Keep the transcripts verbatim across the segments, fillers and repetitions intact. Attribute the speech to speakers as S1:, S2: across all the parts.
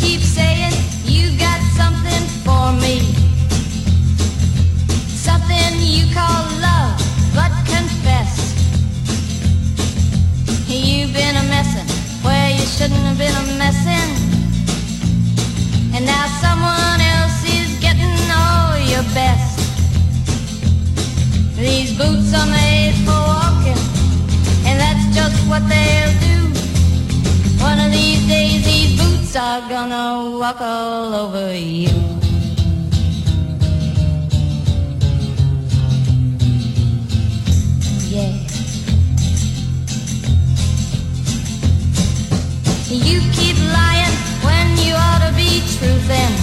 S1: keep saying you got something for me, something you call love, but confess you've been a messin' where you shouldn't have been a messin', and now someone else is getting all your best. These boots are made for walking, and that's just what they'll do. One of these days these boots are gonna walk all over you. Yeah. You keep lying when you ought to be truthin',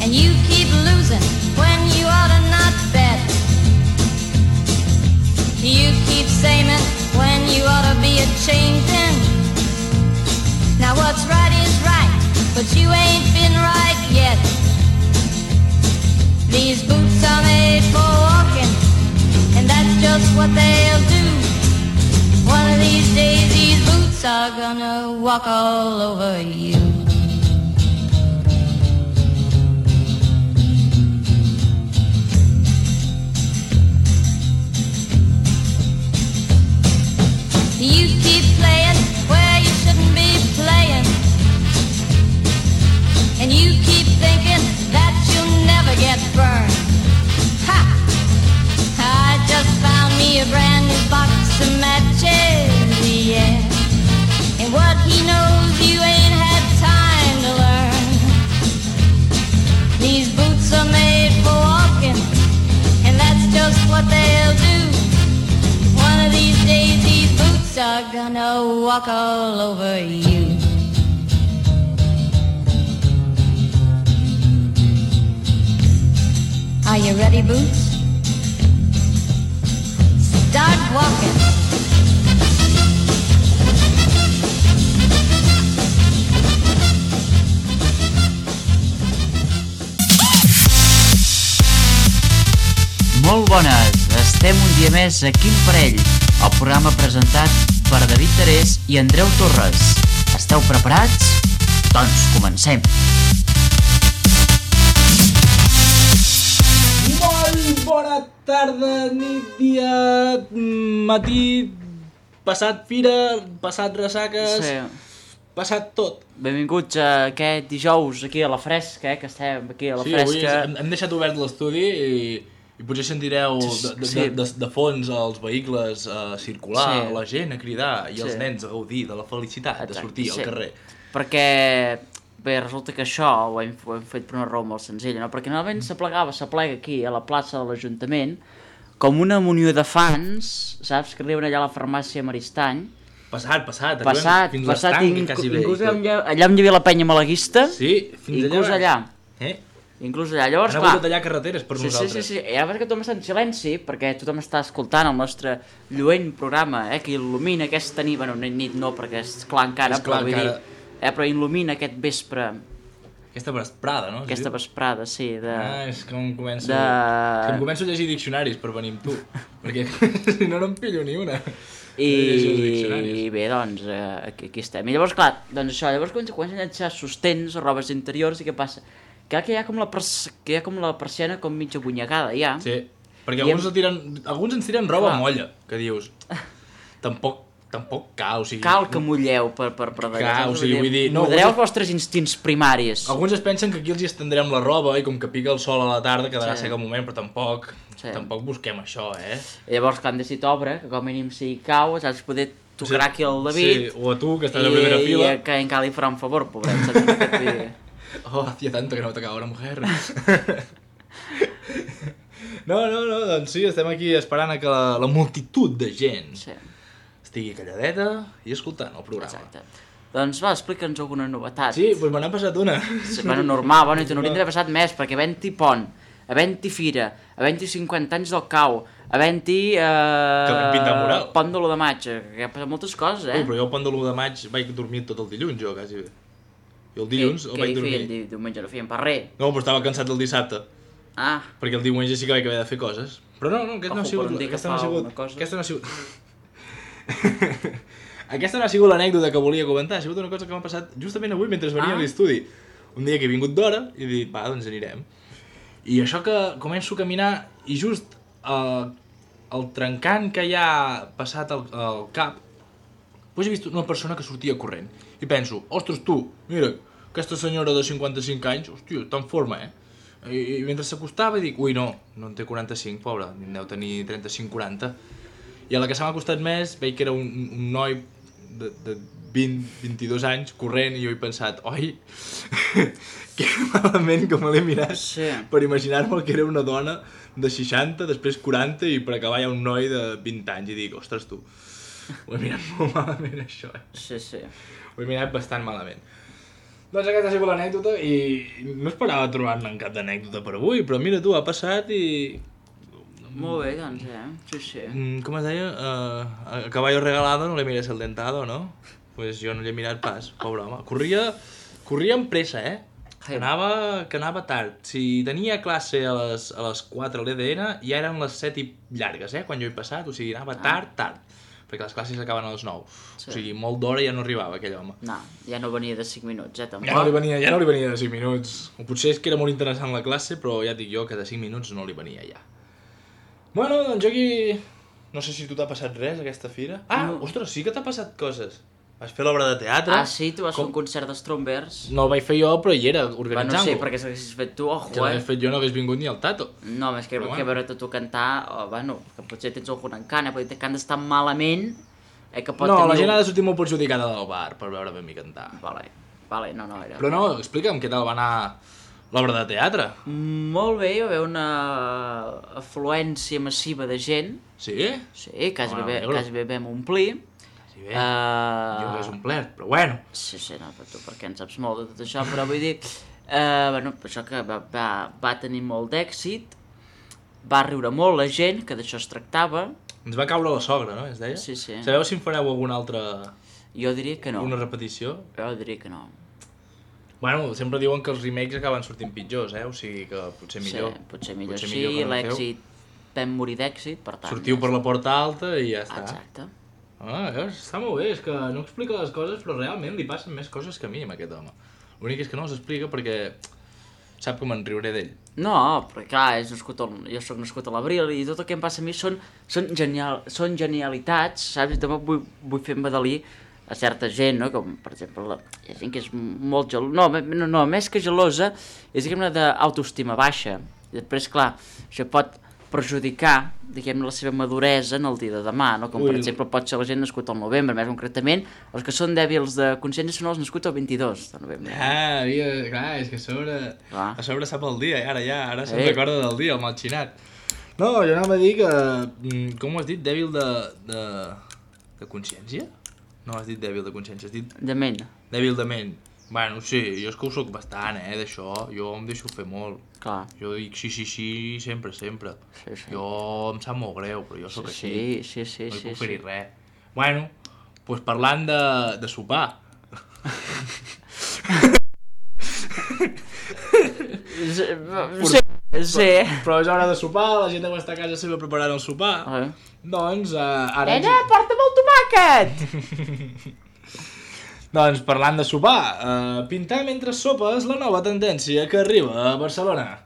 S1: and you keep losing when you ought to not bet. You keep saying when you ought to be a-changin'. Now what's right is right, but you ain't been right yet. These boots are made for walking, and that's just what they'll do. One of these days these boots are gonna walk all over you. You keep playing where you shouldn't be playing, and you keep thinking that you'll never get burned. Ha! I just found me a brand new box of matches, yeah, and what he knows you ain't had time to learn. These boots are made for walking, and that's just what they'll do. One of these days these boots are gonna walk all over you. Are you ready, Boots? Start walking.
S2: Molt bones, estem un dia més a Quin Parell, el programa presentat per David Terés i Andreu Torres. Esteu preparats? Doncs comencem!
S3: Molt bona tarda, nit, dia, matí, passat fira, passat ressaques,
S2: Sí.
S3: passat tot.
S2: Benvinguts a aquest dijous aquí a la fresca, eh, que estem aquí a la
S3: Sí, avui
S2: fresca.
S3: hem, hem deixat obert l'estudi i, i potser sentireu de, de,
S2: Sí.
S3: de, de, de fons els vehicles a circular,
S2: Sí.
S3: la gent a cridar i els
S2: Sí.
S3: nens a gaudir de la felicitat de
S2: Exacte,
S3: sortir
S2: sí.
S3: al carrer.
S2: Perquè, bé, resulta que això ho hem, ho hem fet per una raó molt senzilla, no? Perquè normalment s'aplegava, s'aplega aquí a la plaça de l'Ajuntament com una munió de fans, saps, que arriben allà a la farmàcia Maristany.
S3: Passat, passat, arribem
S2: Passat,
S3: fins
S2: passat,
S3: l'estanc,
S2: inc
S3: quasi bé.
S2: inclús allà, allà on hi havia la penya malaguista,
S3: Sí, fins
S2: inclús
S3: allà.
S2: allà.
S3: Eh?
S2: Inclús allà. Llavors,
S3: Han
S2: clar...
S3: hagut de tallar carreteres per
S2: sí,
S3: nosaltres.
S2: Sí, sí, sí. I ara que tothom està en silenci, perquè tothom està escoltant el nostre lluent programa, eh, que il·lumina aquesta nit, bueno, nit no, perquè és clar encara,
S3: És clar
S2: però vull
S3: encara.
S2: dir, eh, però il·lumina aquest vespre,
S3: Aquesta vesprada, no?
S2: aquesta vesprada, sí, de...
S3: Ah, és que em començo...
S2: de-
S3: És que em començo a llegir diccionaris per venir amb tu, perquè si no, no em pillo ni una.
S2: I,
S3: De llegir els diccionaris.
S2: I bé, doncs, eh, aquí, aquí estem. I llavors, clar, doncs això, llavors comencen, comencen a llançar sostens o robes interiors i què passa? Que que hi ha com la, pers que hi ha com la persiana com mitja bunyegada, ja.
S3: Sí, perquè
S2: I
S3: alguns,
S2: hem-
S3: em... tiren, alguns ens tiren roba
S2: Clar.
S3: molla, que dius... Tampoc, tampoc cal, o sigui...
S2: Cal que mulleu per, per, per d'allà.
S3: Clar,
S2: saps?
S3: o sigui, vull dir, no,
S2: Modereu
S3: alguns-
S2: els vostres instints primaris.
S3: Alguns es pensen que aquí els hi estendrem la roba i com que pica el sol a la tarda quedarà
S2: Sí.
S3: seca un moment, però tampoc,
S2: Sí.
S3: tampoc busquem això, eh?
S2: I llavors, clar, hem decidit obre, que com a mínim si cau, saps, poder tocar aquí el
S3: Sí,
S2: David.
S3: o a tu, que estàs a primera
S2: i,
S3: fila.
S2: I que encara li farà un favor, pobret, saps? Vull dir,
S3: Oh, hacía tanto que no tocaba una mujer. No, no, no, doncs sí, estem aquí esperant a que la, la multitud de gent
S2: sí,
S3: estigui calladeta i escoltant el programa.
S2: exacte. Doncs va, explica'ns alguna novetat.
S3: Sí, doncs me n'ha passat una.
S2: Sí, bueno, normal, bueno, i te n'haurien d'haver passat més, perquè havent-hi pont, havent-hi fira, havent-hi cinquanta anys del cau, havent-hi... Eh,
S3: Que vam pintar mural.
S2: Pont de l'u de maig, que ha passat moltes coses, eh?
S3: Ui, però jo el pont de l'u de maig vaig dormir tot el dilluns, jo, quasi bé. Jo el dilluns el
S2: Què
S3: vaig
S2: hi
S3: dormir.
S2: feien? Di- Diumenge no feien per res.
S3: No, però estava cansat el dissabte,
S2: Ah,
S3: perquè el diumenge sí que vaig haver de fer coses. Però no, no, aquest no ha
S2: Ojo,
S3: sigut...
S2: per un dia que
S3: Aquesta no ha
S2: fa
S3: sigut...
S2: alguna cosa.
S3: Aquesta no ha sigut... Aquesta no ha sigut l'anècdota que volia comentar, ha sigut una cosa que m'ha passat justament avui mentre venia ah. a l'estudi. Un dia que he vingut d'hora i he dit, va, doncs anirem. I això que començo a caminar i just uh, el trencant que hi ha passat al, al cap, doncs he vist una persona que sortia corrent. I penso, ostres tu, mira, aquesta senyora de cinquanta-cinc anys, hòstia, està en forma, eh? I, i mentre s'acostava dic, ui no, no en té quaranta-cinc, pobra, en deu tenir trenta-cinc quaranta. I a la que se m'ha costat més veig que era un, un noi de, de vint vint-i-dos anys corrent i jo he pensat, oi, que malament que me l'he mirat
S2: sí.
S3: per imaginar-me que era una dona de seixanta, després quaranta i per acabar hi ha un noi de vint anys i dic, ostres tu, ho he mirat molt malament això, eh?
S2: Sí, sí.
S3: Ho he mirat bastant malament. Doncs aquesta ha sigut l'anècdota i no esperava trobar-ne cap d'anècdota per avui, però mira tu, ha passat i...
S2: Molt bé, doncs, eh? Sí, sí.
S3: Mm, com es deia? Uh, a caballo regalado no le mires el dentado, no? Pues jo no l'he mirat pas, pobre home. Corria, corria amb pressa, eh? Que anava, que anava tard. Si tenia classe a les, a les quatre a l'E D N, ja eren les set i llargues, eh? Quan jo he passat, o sigui, anava tard, tard. Perquè les classes acaben a les nou. Sí. O sigui, molt d'hora ja no arribava aquell home.
S2: No, ja no venia de cinc minuts, eh, tampoc.
S3: Ja no li venia, ja no li venia de cinc minuts. O potser és que era molt interessant la classe, però ja et dic jo que de cinc minuts no li venia ja. Bueno, doncs jo aquí... No sé si tu t'ha passat res, aquesta fira. Ah, no. Ostres, sí que t'ha passat coses. Vas fer l'obra de teatre.
S2: Ah, sí? Tu vas Com? fer un concert d'Strombers.
S3: No el vaig fer jo, però hi era, organitzant-lo.
S2: Bueno, sí, perquè si l'haguessis fet tu, ojo, eh?
S3: Si l'hagués fet jo no hagués vingut ni el Tato.
S2: No, més que, que bueno. veure-te tu cantar, oh, bueno, que potser tens algun encant, eh? Perquè cantes tan malament... Eh, que pot
S3: no,
S2: tenir
S3: la gent
S2: un...
S3: ha de sortir molt perjudicada del bar per veure ben mi cantar.
S2: Vale, vale, no, no, era...
S3: Però no, explica'm què tal va anar l'obra de teatre.
S2: Molt bé, hi va haver una afluència massiva de gent.
S3: Sí?
S2: Sí, quasi, oh, bé, quasi bé vam omplir.
S3: Quasi bé, uh... jo que és omplert, però bueno.
S2: Sí, sí, no, però tu perquè en saps molt de tot això, però vull dir... Uh, bueno, això que va, va, va tenir molt d'èxit, va riure molt la gent, que d'això es tractava.
S3: Ens va caure la sogra, no? Es deia?
S2: Sí, sí.
S3: Sabeu si en fareu alguna altra...
S2: Jo diria que no.
S3: Una repetició?
S2: Jo diria que no.
S3: Bueno, sempre diuen que els remakes acaben sortint pitjors, eh? O sigui que potser millor.
S2: Sí, potser millor, potser sí, millor l'èxit... Vam morir d'èxit, per tant...
S3: Sortiu ja per la porta alta i ja està.
S2: Exacte.
S3: Ah, veus? Està molt bé, és que no explica les coses, però realment li passen més coses que a mi, amb aquest home. L'únic és que no les explica perquè sap que me'n riuré d'ell.
S2: No, perquè clar, és nascut el, jo soc nascut a l'abril i tot el que em passa a mi són, són, genial, són genialitats, saps? I també vull, vull fer embadalir a certa gent, no? Com, per exemple, la, hi ha gent que és molt gelosa, no, no, no, més que gelosa, és, diguem-ne, d'autoestima baixa. I després, clar, això pot perjudicar, diguem-ne, la seva maduresa en el dia de demà, no? Com, Ui. per exemple, pot ser la gent nascut al novembre, més concretament, els que són dèbils de consciència són els nascuts el vint-i-dos de novembre.
S3: Ah, mira, clar, és que a sobre, ah. a sobre sap el dia, ara ja, ara se'n recorda del dia, el malxinat. No, jo anava a dir que, com ho has dit, dèbil de, de, de consciència? No has dit dèbil de consciència, has dit...
S2: De ment.
S3: Dèbil de ment. Bueno, sí, jo és que ho soc bastant, eh, d'això, jo em deixo fer molt.
S2: Clar.
S3: Jo dic sí, sí, sí, sempre, sempre.
S2: Sí, sí.
S3: Jo em sap molt greu, però jo sóc
S2: sí,
S3: així.
S2: Sí, sí, sí.
S3: No hi puc
S2: sí,
S3: fer-hi
S2: sí.
S3: res. Bueno, doncs parlant de, de sopar.
S2: sí, sí, sí.
S3: Però, però és hora de sopar, la gent deu estar a casa seva preparant el sopar.
S2: Ah.
S3: Doncs, uh, ara...
S2: Nena, ens... porta'm el tomàquet!
S3: Doncs, parlant de sopar, uh, pintar mentre sopes la nova tendència que arriba a Barcelona.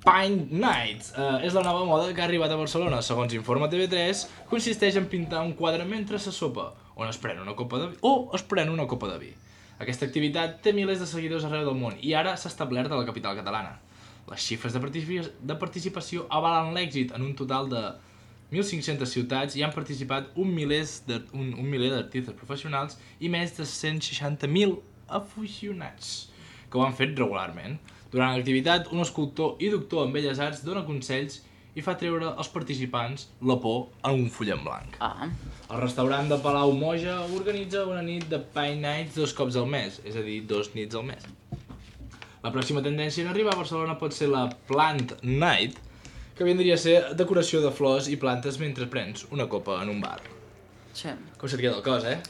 S3: Paint Nights uh, és la nova moda que ha arribat a Barcelona. Segons informa T V tres, consisteix en pintar un quadre mentre se sopa, on es pren una copa de vi, o es pren una copa de vi. Aquesta activitat té milers de seguidors arreu del món i ara s'ha establert a la capital catalana. Les xifres de, participi de participació avalen l'èxit. En un total de mil cinc-centes ciutats hi han participat un, de, un, un miler d'artistes professionals i més de cent seixanta mil aficionats que ho han fet regularment. Durant l'activitat, un escultor i doctor en Belles Arts dona consells i fa treure als participants la por en un full en blanc.
S2: Ah.
S3: El restaurant de Palau Moja organitza una nit de Paint Nights dos cops al mes, és a dir, dos nits al mes. La pròxima tendència en arribar a Barcelona pot ser la Plant Night, que vindria a ser decoració de flors i plantes mentre prens una copa en un bar.
S2: Sí.
S3: Com se't queda el cos, eh?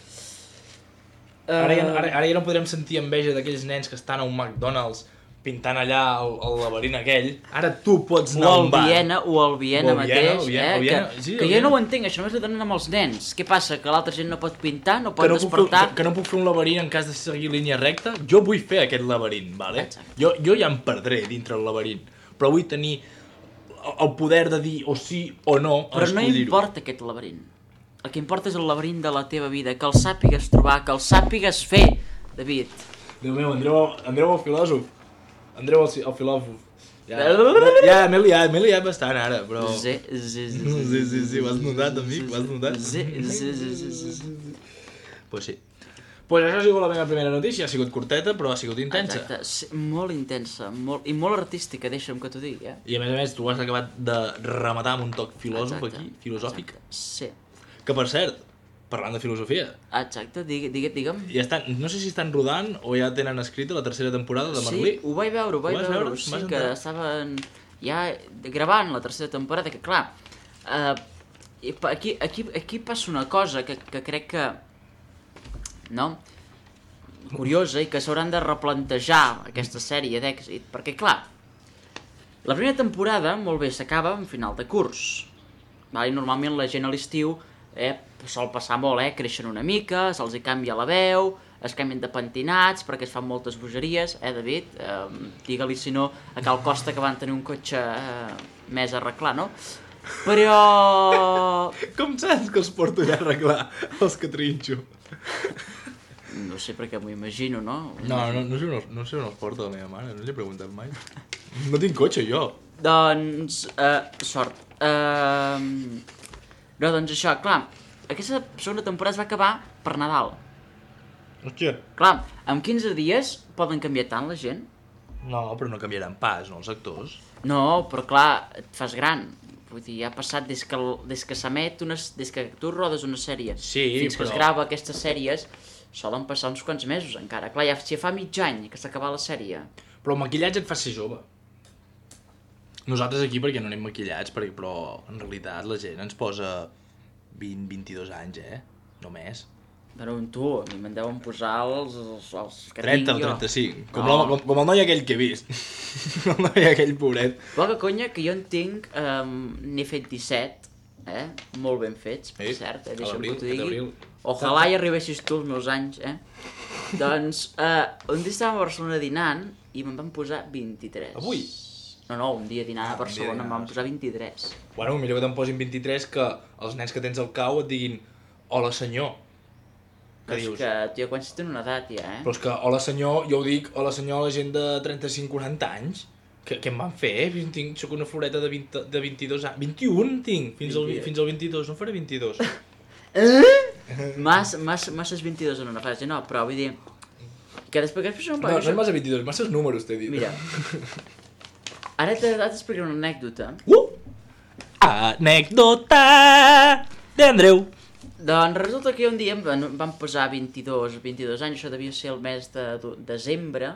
S2: Uh...
S3: Ara, ja, ara, ara ja no podrem sentir enveja d'aquells nens que estan a un McDonald's pintant allà el, el laberint aquell, ara tu pots anar
S2: O
S3: a
S2: el
S3: un bar.
S2: Viena, o el Viena
S3: O el Viena,
S2: mateix,
S3: el Viena,
S2: eh?
S3: el Viena,
S2: que,
S3: sí, el
S2: que jo
S3: Viena.
S2: no ho entenc, això només ho donen amb els nens. Què passa, que l'altra gent no pot pintar, no pot
S3: Que no, puc fer,
S2: despertar?
S3: que, que no puc fer un laberint en cas de seguir línia recta? Jo vull fer aquest laberint, vale?
S2: Exacte.
S3: Jo, jo ja em perdré dintre el laberint, però vull tenir el, el poder de dir o sí o no a
S2: Però no
S3: escollir-ho.
S2: importa aquest laberint. El que importa és el laberint de la teva vida, que el sàpigues trobar, que el sàpigues fer, David.
S3: Déu meu, Andreu, Andreu el filòsof. Andreu el, el filòsof. Ja, ja m'he liat, m'he liat bastant ara, però...
S2: Sí, sí, sí,
S3: Sí, sí, sí, ho has notat, amic, ho has notat.
S2: Sí, sí, sí, sí, sí, sí.
S3: Pues sí. Pues això ha sigut la meva primera notícia, ha sigut curteta, però ha sigut intensa.
S2: Exacte, sí, molt intensa, molt, i molt artística, deixa'm que t'ho digui, eh?
S3: I a més a més, tu has acabat de rematar amb un toc filòsof
S2: Exacte,
S3: aquí, filosòfic.
S2: Exacte, sí.
S3: Que per cert, parlant de filosofia,
S2: Exacte, digue, digue, digue'm.
S3: ja estan, no sé si estan rodant o ja tenen escrita la tercera temporada de Merlí.
S2: Sí, ho vaig veure, ho vaig
S3: Ho vas
S2: veure,
S3: veure?
S2: sí,
S3: Vas
S2: que
S3: entrar?
S2: estaven ja gravant la tercera temporada, que clar, eh, i pa- aquí, aquí, aquí passa una cosa que, que crec que, no?, curiosa i que s'hauran de replantejar aquesta sèrie d'èxit, perquè clar, la primera temporada, molt bé, s'acaba en final de curs, val? I normalment la gent a l'estiu eh, sol passar molt, eh, creixen una mica, se'ls hi canvia la veu, es canvien de pentinats perquè es fan moltes bogeries, eh, David? Eh, Digue-li, si no, a Cal Costa que van tenir un cotxe eh, més a arreglar, no? Però...
S3: Com saps que els porto ja a arreglar, els que trinxo?
S2: No sé per què m'ho imagino, no?
S3: No, no, no, sé on, els- no sé on els porta la meva mare, no li he preguntat mai. No tinc cotxe, jo.
S2: Doncs, eh, sort. Eh, no, doncs això, clar, aquesta segona temporada es va acabar per Nadal.
S3: Hòstia.
S2: Clar, en quinze dies poden canviar tant la gent?
S3: No, però no canviaran pas, no, els actors.
S2: No, però clar, et fas gran. Vull dir, ha passat des que, el- des que s'emet, una, des que tu rodes una sèrie
S3: Sí,
S2: fins que
S3: però-
S2: es grava aquestes sèries, solen passar uns quants mesos encara. Clar, ja, si ja fa mig any que s'ha acabat la sèrie.
S3: Però el maquillatge et fa ser jove. Nosaltres aquí perquè no anem maquillats, perquè, però en realitat la gent ens posa vint a vint-i-dos anys, eh? Només.
S2: Però tu, a mi me'n deuen posar els, els, els que
S3: trenta o
S2: tinc jo.
S3: trenta-cinc. Com,
S2: No.
S3: no. com, com el noi aquell que he vist. El noi aquell pobret.
S2: Poca conya que jo en tinc, um, n'he fet disset, eh? Molt ben fets, per
S3: Sí,
S2: cert, eh?
S3: a
S2: Deixa'm
S3: l'abril,
S2: que t'ho digui.
S3: a l'abril.
S2: Ojalà hi arribessis tu als meus anys, eh? Doncs, uh, un dia estàvem a Barcelona dinant i me'n van posar vint-i-tres.
S3: Avui?
S2: No, no, un dia dinant
S3: Ah,
S2: a
S3: un dia
S2: Barcelona
S3: dinant
S2: em
S3: a
S2: van posar vint-i-tres.
S3: Bueno, millor que te'n posin vint-i-tres que els nens que tens al cau et diguin hola senyor.
S2: Però
S3: Que
S2: és
S3: dius?
S2: que, tio, quan si tenen una edat ja, eh?
S3: Però és que hola senyor, jo ho dic hola senyor a la gent de trenta-cinc quaranta anys. Què, què em van fer? Jo tinc, soc una floreta de, vint, de vint-i-dos anys. vint i un tinc, fins al,
S2: vint-i-dos.
S3: fins al vint-i-dos, no faré vint-i-dos.
S2: Mas, mas, masses vint-i-dos en una frase, no, però vull dir... Que després, que després no em
S3: No, no és massa vint-i-dos, masses números t'he dit.
S2: Mira, ara t'he ara t'explicaré una anècdota.
S3: Uh! Anècdota d'Andreu.
S2: Doncs resulta que un dia em van, em van posar vint-i-dos, vint-i-dos anys, això devia ser el mes de, de desembre,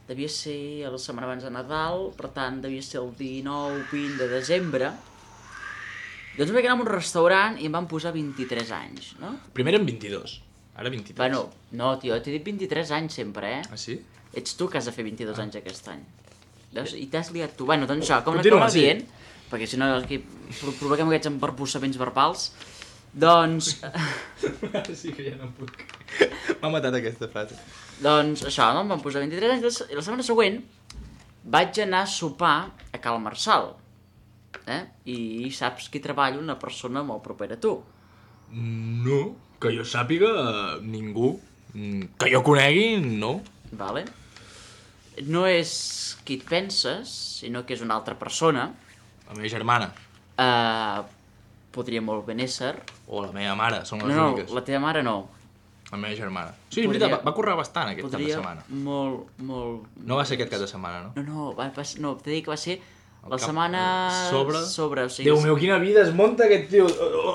S2: devia ser la setmana abans de Nadal, per tant devia ser el dinou vint de desembre. Doncs vaig anar a un restaurant i em van posar vint-i-tres anys, no?
S3: Primer eren vint-i-dos, ara vint-i-tres.
S2: Bueno, no, tio, t'he dit vint-i-tres anys sempre, eh?
S3: Ah, sí?
S2: Ets tu que has de fer vint-i-dos anys aquest any. Veus? I t'has liat tu. Bueno, doncs això, com
S3: Continua,
S2: l'acaba
S3: sí.
S2: dient, perquè si no aquí pro- provoquem aquests embarbussaments verbals, doncs...
S3: Sí que ja no puc. M'ha matat aquesta frase.
S2: Doncs això, no? Em van posar vint-i-tres anys i la setmana següent vaig anar a sopar a Cal Marçal. Eh? I saps qui treballa una persona molt propera a tu.
S3: No, que jo sàpiga, ningú. Mm, Que jo conegui, no.
S2: Vale? No és qui et penses, sinó que és una altra persona.
S3: La meva germana
S2: Uh, podria molt ben ésser.
S3: o la meva mare són les
S2: No, no,
S3: úniques.
S2: la teva mare no.
S3: La meva germana. Sí, és
S2: Podria-
S3: veritat, va, va currar bastant aquest cap de
S2: Podria
S3: setmana.
S2: molt, molt...
S3: No va ser aquest cap de setmana, no?
S2: No, no, va, va, no t'he dit que va ser la
S3: cap-
S2: setmana...
S3: sobre?
S2: Sobre, o sigui...
S3: Déu meu, quina vida es munta aquest tio.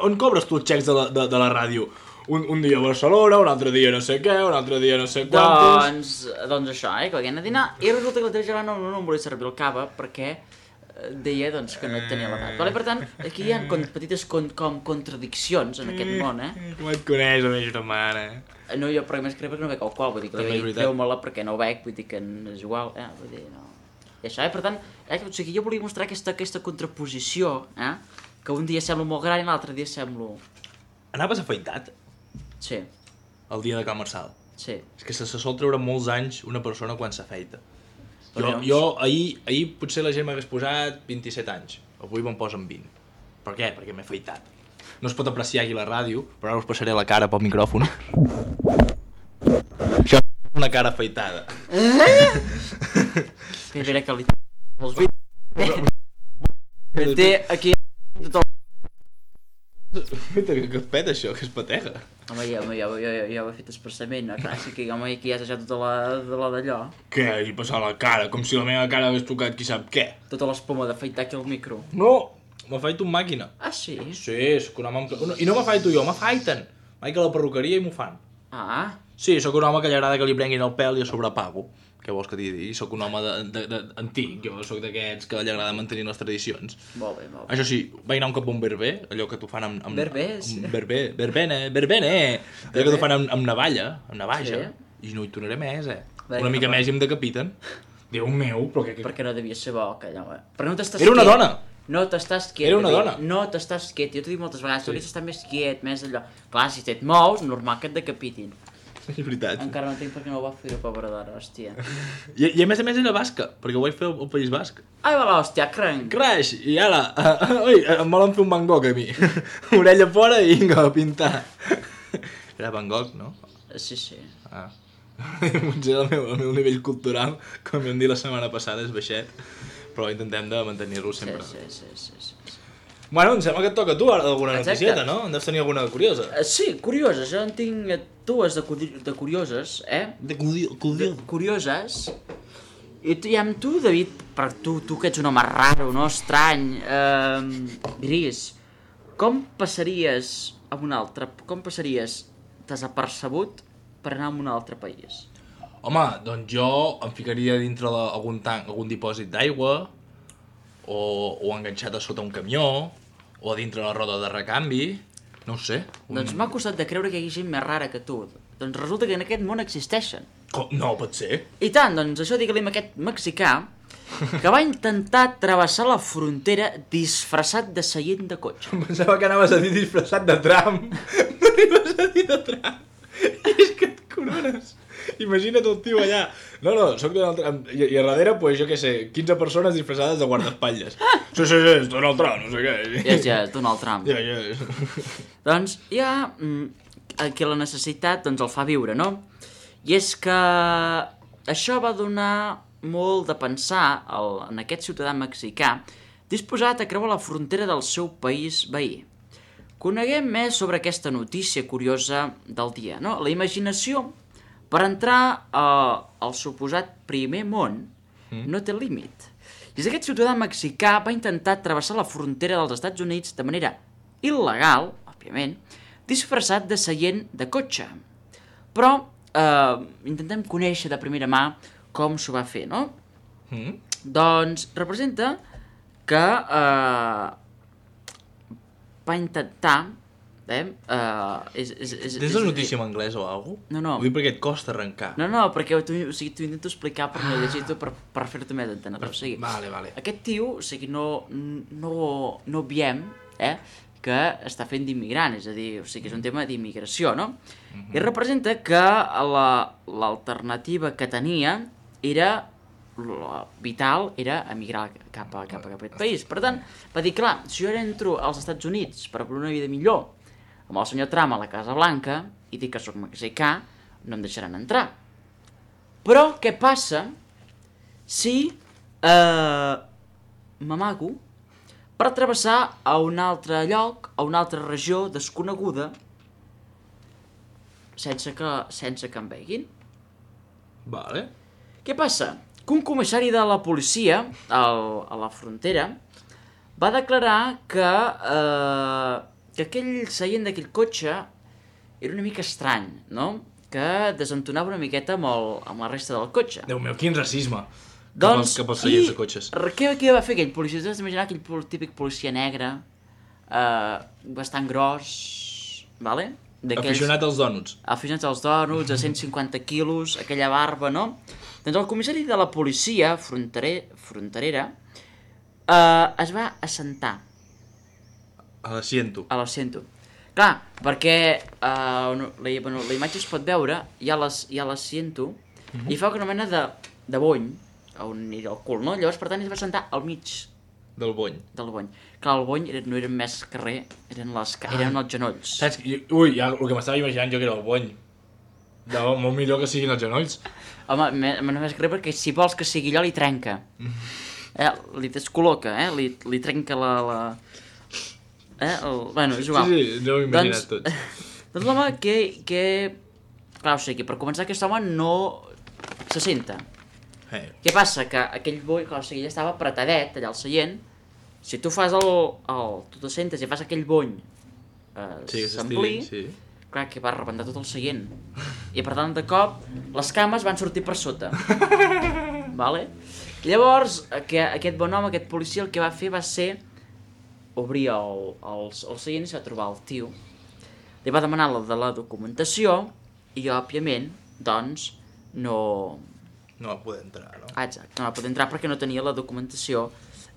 S3: On cobres tu els xecs de la, de, de la ràdio? Un, un dia a Barcelona, un altre dia no sé què, un altre dia no sé quantos...
S2: Doncs, doncs això, eh, que vaig anar a dinar i resulta que la teva germana no, no em volia servir el cava perquè deia doncs, que no tenia l'edat. Vale? Per tant, aquí hi ha con petites con com contradiccions en aquest món, eh?
S3: Com et coneix, la meva germana?
S2: No, jo per més crec perquè no veig alcohol, vull dir que
S3: També és
S2: li
S3: veritat.
S2: treu-me-la perquè no ho veig, vull dir que és igual, eh? Vull dir, no... I això, eh? Per tant, eh? O sigui, jo volia mostrar aquesta, aquesta contraposició, eh? Que un dia semblo molt gran i l'altre dia semblo...
S3: Anaves afaitat
S2: Sí,
S3: el dia de Can Marçal?
S2: sí.
S3: És que se, se sol treure molts anys una persona quan s'afeita. Jo,
S2: Però
S3: jo ahir, ahir potser la gent m'hagués posat vint-i-set anys. Avui me'n posen vint. Per què? Perquè m'he afeitat. No es pot apreciar aquí a la ràdio, però ara us passaré la cara pel micròfon. Això és una cara afeitada.
S2: Que mira que li... Els vídeos... Té aquí... Tot el...
S3: Mira, que es peta això, que es patega.
S2: Home, ja, home, ja, ja, ja, ja ho he fet expressament, no? Clar, sí que home, aquí ja has deixat tota la, de la d'allò.
S3: Què? He passat la cara, com si la meva cara hagués tocat qui sap què.
S2: Tota l'espuma d'afaitar aquí al micro.
S3: No, m'afaito amb màquina.
S2: Ah, sí?
S3: Sí, sóc un home amb... No, I no m'afaito jo, m'afaiten. Vaig a la perruqueria i m'ho fan.
S2: Ah,
S3: Sí, sóc un home que li agrada que li prenguin el pèl i a sobre pago. Què vols que t'hi digui? Sóc un home de, de, de, antic, jo sóc d'aquests que li agrada mantenir les tradicions.
S2: molt bé, molt bé.
S3: Això sí, vaig anar un cop a un berber, allò que t'ho fan amb... amb
S2: Berbers?
S3: Amb berber, berbene, berbene! Allò que t'ho fan amb, amb navalla, amb navaja.
S2: Sí.
S3: I no hi tornaré més, eh?
S2: Bé,
S3: Una mica
S2: no,
S3: més i em decapiten. Déu meu, però què...
S2: Perquè no devia ser bo, que allò... Però no t'estàs
S3: Era una
S2: quiet.
S3: dona!
S2: No t'estàs quiet.
S3: Era una
S2: David.
S3: dona.
S2: No t'estàs quiet. Jo t'ho dic moltes vegades,
S3: Sí.
S2: hauries d'estar més quiet, més allò... Clar, si et mous, normal que et decapitin.
S3: És veritat.
S2: Encara no entenc per què no ho va fer, pobra dona, hòstia.
S3: I, I a més a més era basca, perquè ho vaig fer al País Basc.
S2: Ai, va l'hòstia, cranc!
S3: Crash! I ara, uh, ui, em volen fer un Van Gogh a mi. Orella fora i vinga, a pintar. Era Van Gogh, no?
S2: Sí, sí.
S3: Ah. Potser el meu, el meu nivell cultural, com vam dir la setmana passada, és baixet, però intentem de mantenir-lo
S2: Sí,
S3: sempre.
S2: sí, sí, sí, sí.
S3: Bueno, em sembla que et toca a tu ara alguna
S2: Exacte.
S3: noticieta, no? En deus tenir alguna curiosa.
S2: Eh, Sí, curioses, jo en tinc eh, dues de, curi de curioses, eh?
S3: De cudio...
S2: De curioses. I, tu, I amb tu, David, per tu, tu que ets un home raro, no? Estrany, eh, gris, com passaries a un altre... Com passaries desapercebut per anar a un altre país?
S3: Home, doncs jo em ficaria dintre la, algun tanc, algun dipòsit d'aigua, o, o enganxat a sota un camió, o a dintre la roda de recanvi, no ho sé. Un...
S2: Doncs m'ha costat de creure que hi hagi gent més rara que tu. Doncs resulta que en aquest món existeixen.
S3: Com? No, pot ser.
S2: I tant, doncs això digue-li a aquest mexicà que va intentar travessar la frontera disfressat de seient de cotxe.
S3: Em pensava que anaves a dir disfressat de tram. No anaves a dir de tram. I és que et corones. Imagina't el tio allà. No, no, soc Donald Trump. I, i a darrere, pues, jo què sé, quinze persones disfressades de guardaespatlles. Sí, sí, sí, és Donald Trump, no sé què.
S2: Ja, ja, Donald Trump.
S3: Ja, ja.
S2: Doncs hi ha mm, que la necessitat doncs, el fa viure, no? I és que això va donar molt de pensar al, en aquest ciutadà mexicà disposat a creuar la frontera del seu país veí. Coneguem més sobre aquesta notícia curiosa del dia, no? La imaginació per entrar uh, al suposat primer món
S3: Mm.
S2: no té límit. I és que aquest ciutadà mexicà va intentar travessar la frontera dels Estats Units de manera il·legal, òbviament, disfressat de seient de cotxe. Però eh, intentem conèixer de primera mà com s'ho va fer, no?
S3: Mm?
S2: Doncs representa que eh, va intentar... Eh, uh, és, és, és,
S3: Tens
S2: és,
S3: la notícia en anglès o alguna cosa?
S2: No, no.
S3: Vull dir perquè et costa arrencar.
S2: No, no, perquè t'ho o sigui, intento explicar per no llegir-t'ho per, per fer-te més entendre. O sigui,
S3: Vale, vale.
S2: aquest tio, o sigui, no, no, no obviem eh, que està fent d'immigrant, és a dir, o sigui, és un tema d'immigració, no?
S3: Mhm.
S2: I representa que l'alternativa la, que tenia era, la vital, era emigrar cap a, cap a aquest país. Per tant, va dir, clar, si jo ara entro als Estats Units per per una vida millor, amb el senyor Trump a la Casa Blanca, i dic que sóc mexicà, no em deixaran entrar. Però què passa si eh, m'amago per travessar a un altre lloc, a una altra regió desconeguda, sense que, sense que em veguin?
S3: Vale.
S2: Què passa? Que un comissari de la policia al, a la frontera va declarar que, eh, que aquell seient d'aquell cotxe era una mica estrany, no? Que desentonava una miqueta amb, el, amb la resta del cotxe.
S3: Déu meu, quin racisme.
S2: Doncs,
S3: cap als seients de cotxes.
S2: Què, què va fer aquell policia? T'has d'imaginar aquell pol- típic policia negre, eh, bastant gros, vale?
S3: Aficionat als dònuts.
S2: Aficionats als dònuts, a cent cinquanta quilos, aquella barba, no? Doncs el comissari de la policia fronterer, fronterera eh, es va assentar
S3: A l'assiento.
S2: a l'assento. Clar, perquè uh, no, la, bueno, la imatge es pot veure, hi ha les- hi ha l'assento, uh -huh. i fa una mena de, de bony, on anirà el cul, no? Llavors, per tant, es va sentar al mig
S3: Del bony.
S2: del bony. Clar, el bony era, no eren més carrer, eren, les, ca- eren els genolls.
S3: Saps? I- Ui, ja, el que m'estava imaginant jo que era el bony. De, molt millor que siguin els genolls.
S2: Home, me- me- no més carrer perquè si vols que sigui allò, li trenca. Eh, li descol·loca, eh? Li, li trenca la... la... Eh? El, bueno, és igual.
S3: Sí, sí, no ho he imaginat tot.
S2: Doncs l'home que, que... Clar, o sigui, per començar, aquest home no se senta.
S3: Hey.
S2: Què passa? Que aquell boi, clar, o sigui, ell estava apretadet allà al seient. Si tu fas el... el tu te sentes i fas aquell bony eh,
S3: Sí, que
S2: s'ampliï,
S3: s'estiri, sí.
S2: clar, que va rebentar tot el seient. I per tant, de cop, les cames van sortir per sota. Vale? Llavors, que, aquest bon home, aquest policia, el que va fer va ser obrir el, el, el seient i s'ha trobar el tio. Li va demanar la de la documentació i, òbviament, doncs, no...
S3: No va poder entrar, no?
S2: Ah, exacte, no va poder entrar perquè no tenia la documentació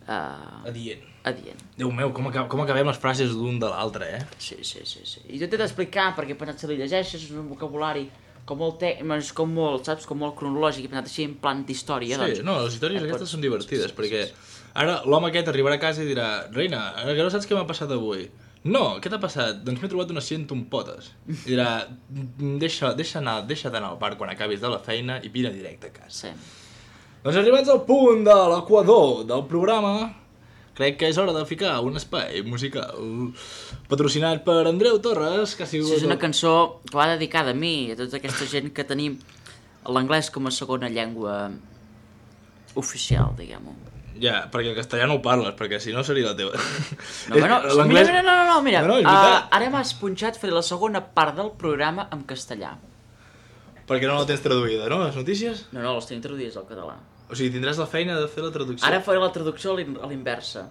S2: eh,
S3: Adient.
S2: adient.
S3: Déu meu, com, acab com acabem les frases l'un de l'altre, eh?
S2: Sí, sí, sí, sí. I jo t'he d'explicar, perquè he pensat si li llegeixes, és un vocabulari com molt, te... és com molt, saps, com molt cronològic, he pensat així en plan d'història,
S3: Sí,
S2: doncs...
S3: no, les històries
S2: eh,
S3: aquestes
S2: pots-
S3: són divertides,
S2: sí, sí,
S3: perquè
S2: sí.
S3: ara l'home aquest arribarà a casa i dirà Reina, ara que no saps què m'ha passat avui. No, què t'ha passat? Doncs m'he trobat un assient amb potes. I dirà, deixa, deixa anar, deixa d'anar al parc quan acabis de la feina i vine directe a casa.
S2: Sí.
S3: Doncs arribats al punt de l'equador del programa, crec que és hora de ficar un espai musical patrocinat per Andreu Torres, que ha sigut...
S2: Sí, és una cançó que va dedicada a mi, a tota aquesta gent que tenim l'anglès com a segona llengua oficial, diguem-ho.
S3: Ja, perquè el castellà no ho parles, perquè si no seria la teva.
S2: No, bueno, mira,
S3: L'anglès-
S2: mira, no, no, no, mira,
S3: No, no, és
S2: uh,
S3: veritat.
S2: ara m'has punxat, faré la segona part del programa en castellà.
S3: Perquè no la tens traduïda, no, les notícies?
S2: No, no, les tenim traduïdes al català.
S3: O sigui, tindràs la feina de fer la traducció
S2: Ara faré la traducció a l'in- a l'inversa.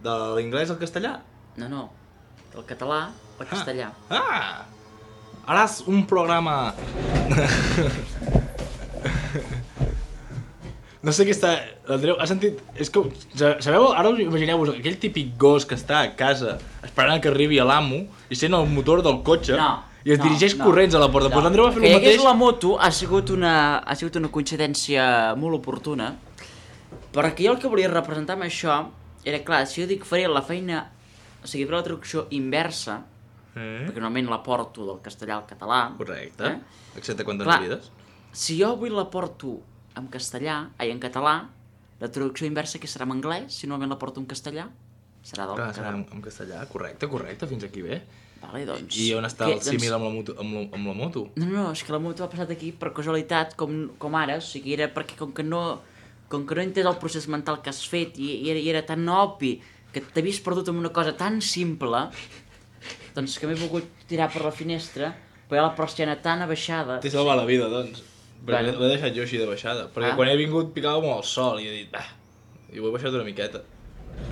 S3: de l'inglès al castellà.
S2: No, no, del català al castellà.
S3: Ah! Haràs un programa... No sé què està... L'Andreu, has sentit... És com... Sabeu? Ara us imagineu-vos aquell típic gos que està a casa esperant que arribi a l'amo i sent el motor del cotxe
S2: No,
S3: i es
S2: no,
S3: dirigeix
S2: no.
S3: corrents a la porta. Doncs pues l'Andreu va fer
S2: Que
S3: el
S2: hi hagués
S3: mateix...
S2: la moto ha sigut una, ha sigut una coincidència molt oportuna, perquè jo el que volia representar amb això era, clar, si jo dic faré la feina, o sigui, faré la traducció inversa,
S3: Eh?
S2: perquè normalment la porto del castellà al català.
S3: Correcte.
S2: Eh?
S3: Excepte quan
S2: Clar.
S3: t'enredes.
S2: Si jo avui la porto en castellà, ai, en català, la traducció inversa que serà en anglès, si normalment la porto en castellà, serà del
S3: Clar, serà
S2: català.
S3: en, en castellà. Correcte, correcte, fins aquí bé.
S2: Vale, doncs...
S3: I on està
S2: què?
S3: el símil amb la moto? Amb la, amb la moto?
S2: No, no, és que la moto ha passat aquí per casualitat, com, com ara, o sigui, era perquè com que no, com que no he entès el procés mental que has fet i, i, era, i era tan obvi que t'havies perdut en una cosa tan simple, doncs que m'he volgut tirar per la finestra, però hi ha la persiana tan abaixada...
S3: T'he salvat la vida, doncs. Perquè
S2: Bueno.
S3: l'he deixat jo així de baixada. Perquè
S2: Ah.
S3: quan he vingut picava molt el sol i he dit, bah, i ho he baixat una miqueta.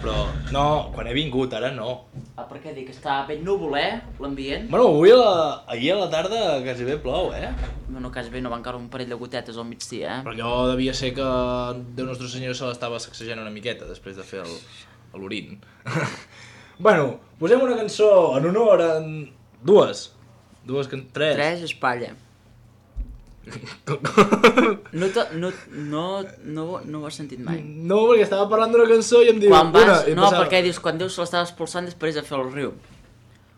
S3: Però, no, quan he vingut, ara no.
S2: Ah, per què dic? Està ben núvol, eh, l'ambient?
S3: Bueno, avui a la, ahir a la tarda quasi bé plou, eh?
S2: Bueno, quasi bé no van caure un parell de gotetes al migdia, eh?
S3: Però allò devia ser que Déu Nostre Senyor se l'estava sacsejant una miqueta després de fer el, l'orin. Bueno, posem una cançó en honor a... Dues. Dues can... Tres.
S2: Tres espatlla. No, te, no, no, no, no ho has sentit mai.
S3: No, perquè estava parlant d'una cançó i em diu...
S2: Quan vas...
S3: una, i
S2: No,
S3: passava-
S2: perquè dius, quan Déu se l'estava expulsant després de fer el riu.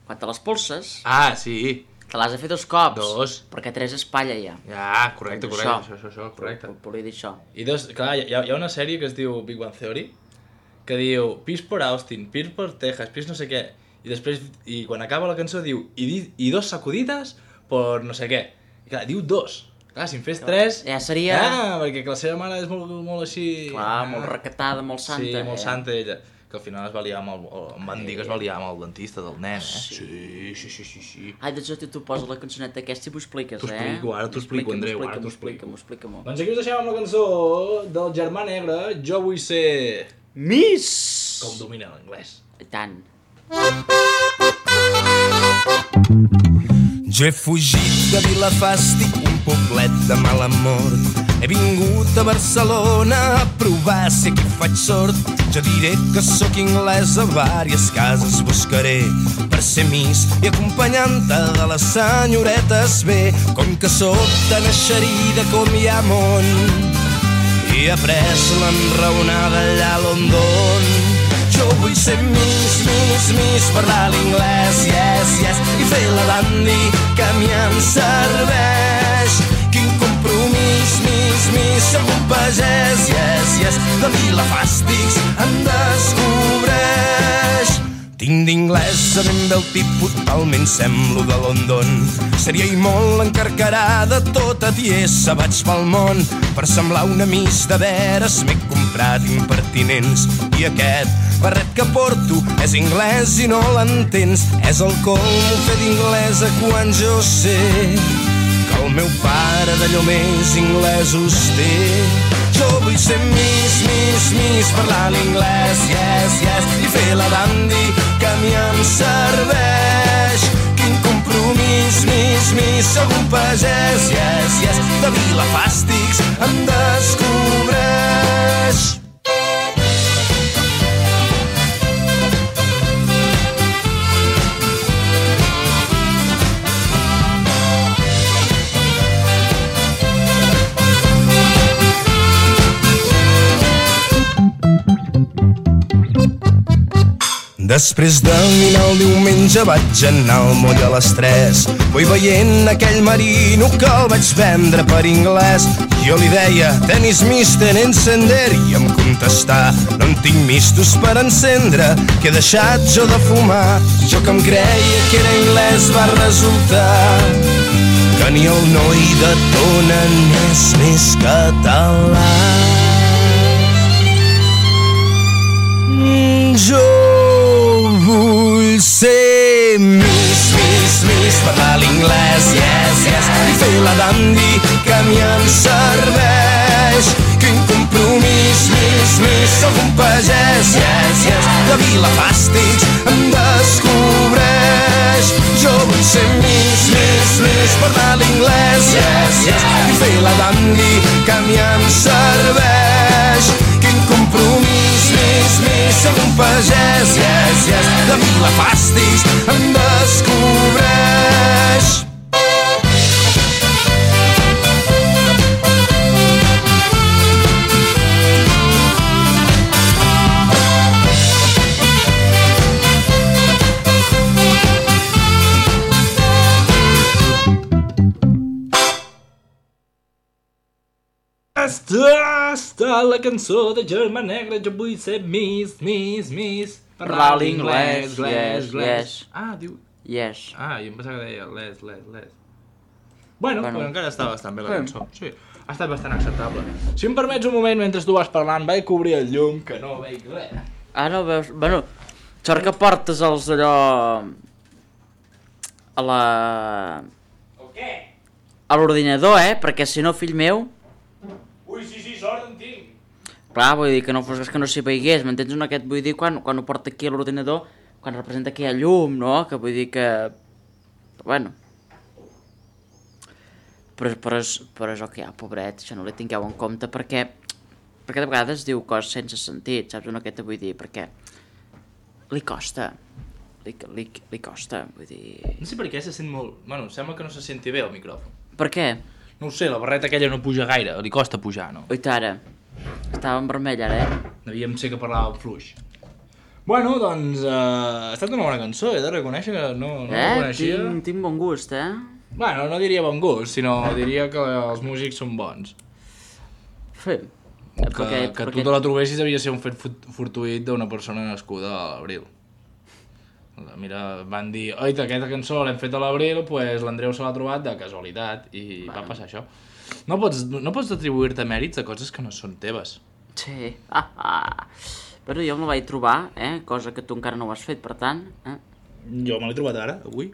S2: Quan te l'espulses,
S3: Ah, sí.
S2: te l'has de fer dos cops.
S3: Dos.
S2: Perquè tres espatlla ja.
S3: Ja, correcte,
S2: Doncs
S3: correcte,
S2: això.
S3: això, això, això, correcte.
S2: Volia dir això.
S3: I dos, clar, hi ha, hi ha una sèrie que es diu Big Bang Theory, que diu Pis per Austin, Pis per Texas, Pis no sé què, i després, i quan acaba la cançó diu i, di, i dos sacudides per no sé què. I clar, diu dos. Clar, si en fes tres...
S2: Ja seria...
S3: Ah, perquè que la seva mare és molt, molt així...
S2: Clar, molt recatada, molt santa.
S3: Sí, molt
S2: eh?
S3: santa ella. que al final es va liar amb el, em van dir que es va liar amb el dentista del nen, eh? Sí, sí, sí, sí, sí.
S2: Ai, doncs tu, tu poses la cançoneta aquesta i m'ho expliques, eh?
S3: T'ho explico, ara t'ho explico, Andreu, ara t'ho explico.
S2: Explica-m'ho, explica-m'ho.
S3: Doncs aquí us deixem amb la cançó del Germà Negre, Jo vull ser...
S2: Miss!
S3: Com domina l'anglès.
S2: I tant.
S4: Jo he fugit de Vilafàstic, un poblet de mala mort. He vingut a Barcelona a provar si aquí faig sort. Jo diré que sóc anglès, a vàries cases buscaré per ser miss i acompanyant-te de les senyoretes bé. Com que sóc tan eixerida com hi ha món, i he après l'enraonada allà a London. Jo vull ser miss, miss, miss, parlar l'inglès, yes, yes, i fer la dandy que a mi em serveix. Quin compromís, miss, miss, sóc un pagès, yes, yes, de Vilafàstics em descobreix. Tinc d'inglès a ben bé el tipus, talment semblo de London. Seria i molt encarcarada, tota tiesa vaig pel món. Per semblar una miss de veres m'he comprat impertinents. I aquest barret que porto és anglès i no l'entens. És el colmo fer d'inglesa quan jo sé que el meu pare d'allò més inglesos té. Jo vull ser miss, miss, miss, parlar l'inglès, yes, yes, i fer la dandy que a mi em serveix. Quin compromís, miss, miss, sóc un pagès, yes, yes, de Vilafàstics em descobreix. Després de dinar el diumenge vaig anar al moll a les tres. Vull veient aquell marino que el vaig vendre per anglès. Jo li deia, tenis mister encender, i em contestà, no en tinc mistos per encendre, que he deixat jo de fumar. Jo que em creia que era anglès va resultar que ni el noi de Tona n'és més català. Jo vull ser miss, miss, miss, parlar l'inglès, yes, yes, i fer la dandy que a mi em serveix. Quin compromís, miss, miss, sóc un pagès, yes, yes, de Vilafàstics em descobreix. Jo vull ser miss, miss, miss, parlar l'inglès, yes, yes, i fer la dandy que a mi em serveix. Quin compromís, miss, miss, sóc un pagès, yes, yes, de Vilafàstics em descobreix.
S3: Està, està la cançó de Germà Negre, jo vull ser miss, miss, miss,
S2: Parlar l'inglès, yes, yes.
S3: Ah, diu...
S2: Yes.
S3: Ah, jo em pensava que deia les, les, les. Bueno,
S2: Bueno.
S3: però encara està bastant bé la
S2: Sí.
S3: cançó. Sí, ha estat bastant acceptable. Si em permets un moment, mentre tu vas parlant, vaig cobrir el llum, que no veig res.
S2: Ah, no veus... Bueno, sort que portes els d'allò... A la...
S3: El què?
S2: A l'ordinador, eh? Perquè si no, fill meu...
S3: Ui, sí, sí, sort en tinc.
S2: Clar, vull dir que no fos que no s'hi veigués, m'entens un aquest? Vull dir, quan, quan ho porta aquí a l'ordinador, quan representa que hi ha llum, no? Que vull dir que... Bueno... Però, però, és, però és el que hi ha, pobret, això no li tingueu en compte, perquè... Perquè de vegades diu coses sense sentit, saps un aquest? Vull dir, perquè... Li costa. Li, li, li costa, vull dir...
S3: No sé per què se sent molt... Bueno, sembla que no se senti bé el micròfon.
S2: Per què?
S3: No ho sé, la barreta aquella no puja gaire, li costa pujar, no?
S2: Oita ara. Estava en vermell ara, eh?
S3: Devíem ser que parlàvem fluix. Bueno, doncs, uh, ha estat una bona cançó, he de reconèixer que no, no la
S2: Eh?
S3: coneixia.
S2: Tinc, tinc bon gust, eh?
S3: Bueno, no diria bon gust, sinó diria que els músics són bons.
S2: Sí.
S3: Que,
S2: Perquè,
S3: que
S2: perquè...
S3: tu te la trobessis devia ser un fet fut- fortuït d'una persona nascuda a l'abril. Mira, van dir, oita, aquesta cançó l'hem fet a l'abril, doncs pues l'Andreu se l'ha trobat de casualitat i bueno. Va passar això. No pots, no pots atribuir-te mèrits a coses que no són teves.
S2: Sí. Ah, ah. Però jo me la vaig trobar, eh? Cosa que tu encara no ho has fet, per tant... Eh?
S3: Jo me l'he trobat ara, avui.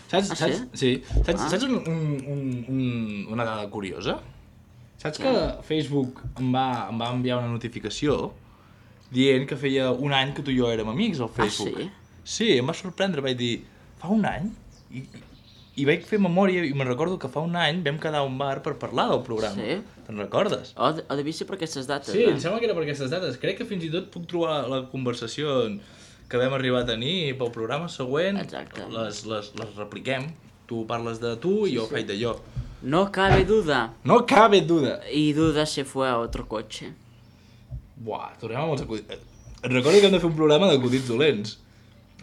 S3: Saps,
S2: Ah,
S3: saps,
S2: sí?
S3: sí. Saps,
S2: Ah.
S3: saps un, un, un, un, una dada curiosa? Saps que Facebook em va, em va enviar una notificació dient que feia un any que tu i jo érem amics al Facebook?
S2: sí?
S3: Sí, em va sorprendre, vaig dir, fa un any? I, i vaig fer memòria i me'n recordo que fa un any vam quedar a un bar per parlar del programa.
S2: Sí?
S3: Te'n recordes?
S2: O, de, o devia ser per aquestes dates,
S3: Sí,
S2: eh?
S3: em sembla que era per aquestes dates. Crec que fins i tot puc trobar la conversació que vam arribar a tenir i pel programa següent.
S2: Exacte.
S3: Les, les, les repliquem. Tu parles de tu i jo
S2: sí.
S3: faig de jo.
S2: No cabe duda.
S3: No cabe duda.
S2: Y duda se fue a otro coche.
S3: Buah, tornem amb els acudits. Et recordo que hem de fer un programa d'acudits dolents.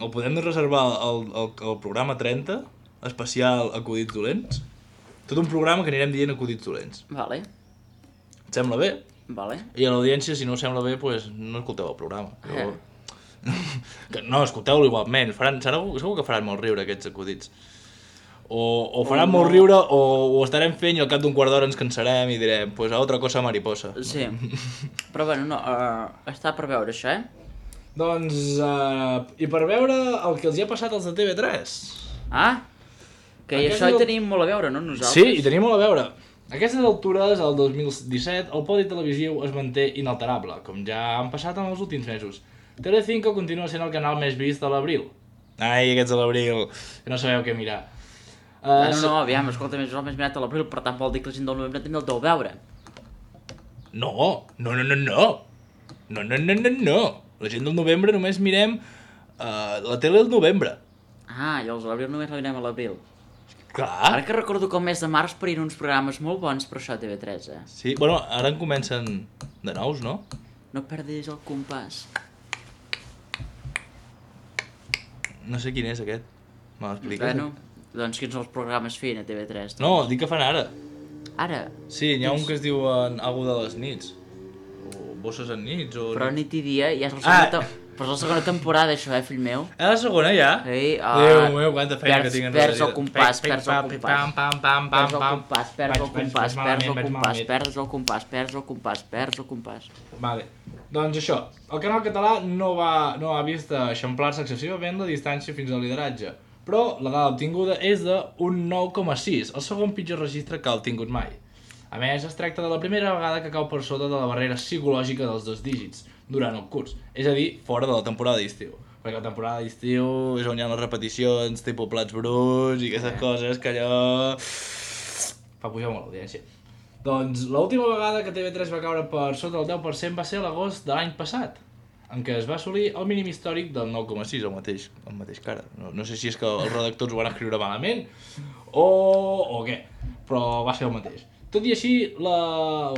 S3: El podem reservar al, al, al programa trenta, especial acudits dolents. Tot un programa que anirem dient acudits dolents.
S2: Vale,
S3: Et sembla bé?
S2: vale.
S3: I a l'audiència, si no us sembla bé, doncs no escolteu el programa.
S2: Eh.
S3: Jo... que no, escolteu-lo igualment. Faran, segur, segur que faran molt riure aquests acudits. O, o faran
S2: O
S3: molt
S2: no.
S3: riure o ho estarem fent i al cap d'un quart d'hora ens cansarem i direm pues a otra cosa mariposa.
S2: Sí. Però bueno, no, uh, està per veure això, eh?
S3: Doncs, uh, i per veure el que els hi ha passat als de T V tres.
S2: Ah? Que i
S3: Aquest
S2: això hi
S3: és el-
S2: tenim molt a veure, no, nosaltres?
S3: Sí, hi tenim molt a veure. A aquestes altures, el dos mil disset, el podi televisiu es manté inalterable, com ja han passat en els últims mesos. Telecinco continua sent el canal més vist de l'abril. Ai, aquests de l'abril, que no sabeu què mirar.
S2: Ah,
S3: Uh,
S2: no, no, aviam, escolta, més o menys mirat a l'abril, per tant vol dir que la gent del novembre també el deu veure.
S3: No, no, no, no, no. No, no, no, no, no. La gent del novembre només mirem uh, la tele del novembre.
S2: Ah, i els de l'abril només la mirem a l'abril.
S3: Clar.
S2: Ara que recordo que el mes de març parien uns programes molt bons per això a T V tres, eh?
S3: Sí, bueno, ara en comencen de nous, no?
S2: No perdis el compàs.
S3: No sé quin és aquest. Me l'expliques?
S2: Bueno, doncs quins són els programes fent a T V tres?
S3: No, dic que fan ara.
S2: Ara,
S3: Sí, n'hi ha un que es diu en algo de les nits. O bosses en nits, o...
S2: però nit i dia ja és la segona,
S3: Ah.
S2: te... però és la segona temporada, això, eh, fill meu?
S3: A la segona ja?
S2: Sí, ah,
S3: Déu meu, quanta feina
S2: perds-
S3: que tinc en
S2: perds
S3: la
S2: el compàs, perds el compàs.
S3: Pam, pam, pam, pam,
S2: Perds el
S3: pam.
S2: compàs, perds el
S3: Vaig- vaig-
S2: compàs,
S3: vaig
S2: perds el
S3: malament, vaig
S2: compàs,
S3: malament.
S2: perds el compàs, perds el compàs, perds el compàs.
S3: Vale. Doncs això, el canal català no, va, no ha vist eixamplar-se excessivament la distància fins al lideratge, però la dada obtinguda és d'un nou coma sis, el segon pitjor registre que ha obtingut mai. A més, es tracta de la primera vegada que cau per sota de la barrera psicològica dels dos dígits durant el curs, és a dir, fora de la temporada d'estiu. Perquè la temporada d'estiu és on hi ha les repeticions, tipus plats bruts i aquestes coses que allò... fa pujar molt l'audiència. Doncs l'última vegada que T V tres va caure per sota del deu per cent va ser a l'agost de l'any passat, en què es va assolir el mínim històric del nou coma sis, el mateix, el mateix cara. No, no sé si és que els redactors ho van escriure malament o, o què, però va ser el mateix. Tot i així, la,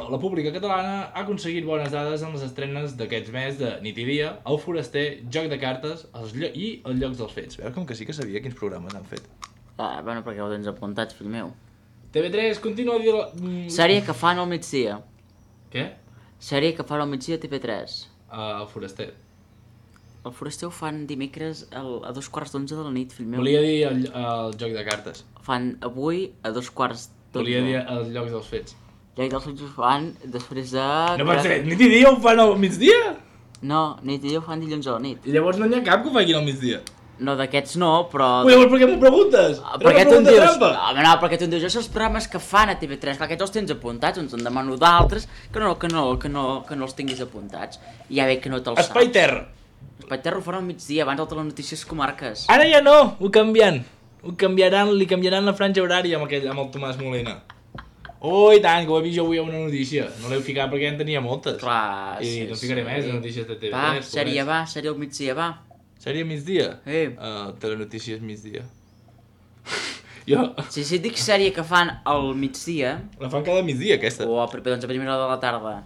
S3: la pública catalana ha aconseguit bones dades en les estrenes d'aquests mes de Nit i Dia, El Foraster, Joc de Cartes els llo i Els Llocs dels Fets. Veus com que sí que sabia quins programes han fet.
S2: Ah, bueno, perquè ho tens apuntat, fill meu.
S3: T V tres continua a dir... La... Mm,
S2: Sèrie que fan al migdia.
S3: Què?
S2: Sèrie que fan al migdia a T V tres.
S3: Uh, el Foraster.
S2: El Foraster ho fan dimecres al, a dos quarts d'onze de la nit, fill meu.
S3: Volia dir el, el Joc de Cartes.
S2: Fan avui a dos quarts d'onze.
S3: Volia dir els Llocs dels Fets.
S2: Ja i dels fets ho fan després de...
S3: No pot ser, nit i dia ho fan al migdia?
S2: No, nit i dia ho fan dilluns a la nit.
S3: I llavors no n'hi ha cap que ho facin al migdia.
S2: No, d'aquests no, però...
S3: Ui, llavors per què m'ho preguntes?
S2: Ah,
S3: Era
S2: per què
S3: una
S2: tu em
S3: pregunta
S2: dius?
S3: trampa.
S2: Home, no, perquè tu em dius, això són els programes que fan a T V tres, clar, aquests els tens apuntats, doncs en demano d'altres que no, que, no, que, no, que no els tinguis apuntats. I ja veig que no te'ls saps.
S3: Espai Terra.
S2: Espai Terra ho faran al migdia, abans de les notícies comarques.
S3: Ara ja no, ho canviant. Ho canviaran, li canviaran la franja horària amb, aquell, amb el Tomàs Molina. Oh, i tant, que ho he vist jo avui a una notícia. No l'heu ficat perquè ja en tenia moltes.
S2: Clar,
S3: I
S2: sí,
S3: no ficaré
S2: sí.
S3: més de notícies de T V tres.
S2: Va,
S3: pobrets.
S2: sèrie va, sèrie al migdia va.
S3: Sèrie migdia?
S2: Sí.
S3: Uh, telenotícies migdia. jo...
S2: Si, si et dic sèrie que fan al migdia,
S3: La fan cada migdia, aquesta.
S2: o a, doncs a primera hora de la tarda,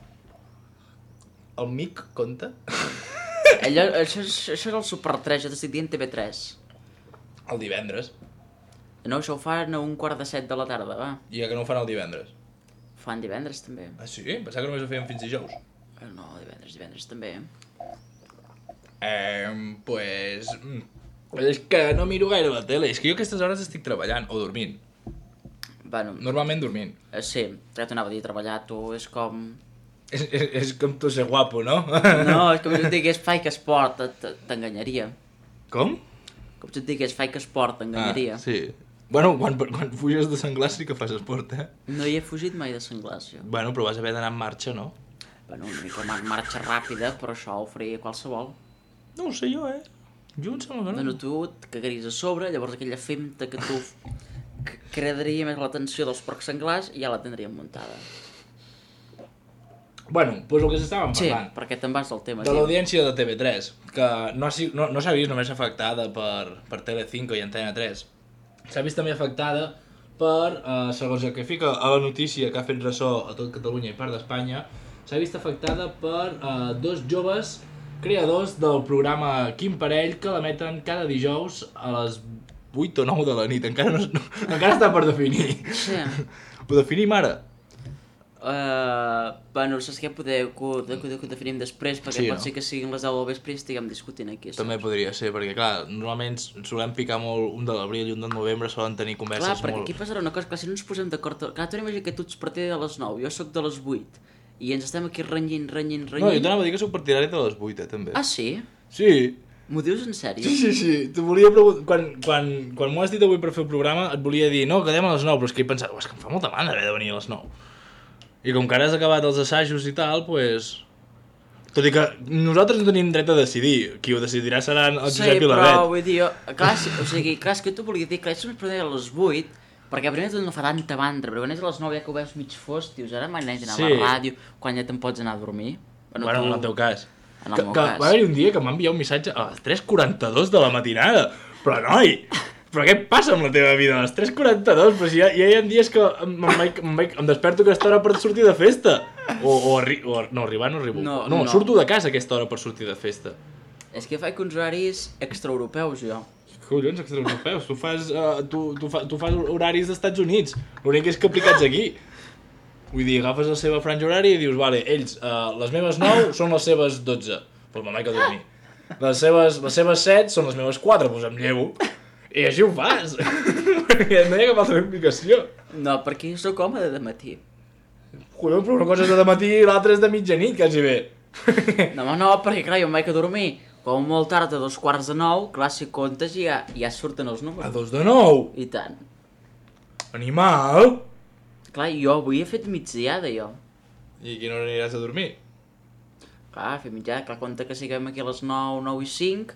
S3: El mic compta?
S2: allò, això, és, això és el Super tres, jo t'estic dient T V tres.
S3: El divendres.
S2: No, això ho fan a un quart de set de la tarda, va.
S3: I que no ho fan el divendres.
S2: Ho fan divendres també.
S3: Ah, sí? Pensava que només ho feien fins dijous.
S2: Eh, No, divendres, divendres també.
S3: Eh, pues... mm, És que no miro gaire la tele. És que jo a aquestes hores estic treballant o dormint.
S2: Bueno,
S3: Normalment dormint.
S2: eh, sí, ja t'anava a dir, treballar tu és com...
S3: És, és, és com tu ser guapo, no?
S2: No, és com si et digués fai que esport, t- t'enganyaria.
S3: Com?
S2: Com si et digués fai que esport, t'enganyaria.
S3: Ah, sí. Bueno, quan, quan fuges de senglars sí que fas esport, eh?
S2: No hi he fugit mai de senglars, jo.
S3: Bueno, però vas haver d'anar en marxa, no?
S2: Bueno, una mica mar marxa ràpida, però això ho faria qualsevol.
S3: No ho sé jo, eh? Jo em sembla que no.
S2: Bueno, tu et cagaries a sobre, llavors aquella femta que tu c- cradaria més l'atenció dels porcs senglars i ja la tindríem muntada.
S3: Bueno, doncs el que s'estàvem
S2: Sí,
S3: parlant.
S2: perquè te'n vas del tema.
S3: De
S2: tio.
S3: l'audiència de T V tres, que no, ha si- no, no s'ha vist només afectada per, per Telecinco i Antena tres. S'ha vist també afectada per, eh, segons el que fica a la notícia que ha fet ressò a tot Catalunya i part d'Espanya, s'ha vist afectada per eh, dos joves creadors del programa Quin Parell, que l'emeten cada dijous a les vuit o nou de la nit. Encara, no, no, encara està per definir.
S2: Sí.
S3: Ho definim ara?
S2: Uh, bueno, saps què? Poder que ho, que, ho- que ho definim després, perquè
S3: Sí,
S2: pot
S3: no?
S2: ser que siguin les deu del vespre i estiguem discutint aquí.
S3: També
S2: saps?
S3: podria ser, perquè clar, normalment solem picar molt un de l'abril i un del novembre, solen tenir converses
S2: Clar, perquè
S3: molt...
S2: aquí passarà una cosa, clar, si no ens posem d'acord... Clar, tu imagina que tu ets partida de les nou, jo sóc de les vuit, i ens estem aquí renyint, renyint, renyint...
S3: No, jo t'anava a dir que soc partidari de les vuit, eh, també.
S2: Ah, sí?
S3: Sí.
S2: M'ho dius en sèrio?
S3: Sí, sí, sí. Te volia preguntar... Quan, quan, quan m'ho has dit avui per fer el programa, et volia dir, no, quedem a les nou, però és que he pensat, oh, és que em fa molta mandra haver de venir a les nou. I com que ara has acabat els assajos i tal, pues... Tot i que nosaltres no tenim dret a decidir. Qui ho decidirà seran el
S2: Sí,
S3: Josep i la
S2: però
S3: Bet.
S2: vull dir, jo, clar, si, o sigui, clar, és que tu volies dir, clar, és més a les vuit, perquè primer tot no fa tanta mandra, però quan és a les nou ja que ho veus mig fos, dius, ara m'he d'anar
S3: Sí.
S2: a la ràdio, quan ja te'n pots anar a dormir.
S3: Bueno, en el teu cas.
S2: En el
S3: que,
S2: meu
S3: que
S2: cas.
S3: va haver-hi un dia que m'ha enviat un missatge a les tres quaranta-dos de la matinada. Però, noi, però què passa amb la teva vida? A les tres quaranta-dos, però si ja, ja hi ha dies que em, em, vaig, em, vaig, em desperto a aquesta hora per sortir de festa. O, o, arri o no, arribar no arribo.
S2: No,
S3: no,
S2: no.
S3: surto de casa a aquesta hora per sortir de festa.
S2: És que faig uns horaris extraeuropeus, jo.
S3: Collons, extraeuropeus, tu fas, uh, tu, tu, fa, tu fas horaris d'Estats Units. L'únic és que aplicats aquí. Vull dir, agafes la seva franja horària i dius, vale, ells, uh, les meves nou són les seves dotze. Pues me'n vaig a dormir. Les seves, les seves set són les meves quatre, doncs em llevo. I així ho fas. Perquè no hi ha cap altra explicació.
S2: No, perquè jo sóc home de matí.
S3: Collons, però una cosa és de matí i l'altra és de mitjanit, quasi bé.
S2: No, home, no, perquè clar, jo em vaig a dormir com molt tard, a dos quarts de nou, clar, si comptes ja, ja surten els
S3: A
S2: números.
S3: dos de nou.
S2: I tant.
S3: Animal.
S2: Clar, jo avui he fet migdiada, jo.
S3: I a quina hora aniràs a dormir?
S2: Clar, fer mitjana, clar, compte que siguem aquí a les nou, nou i cinc,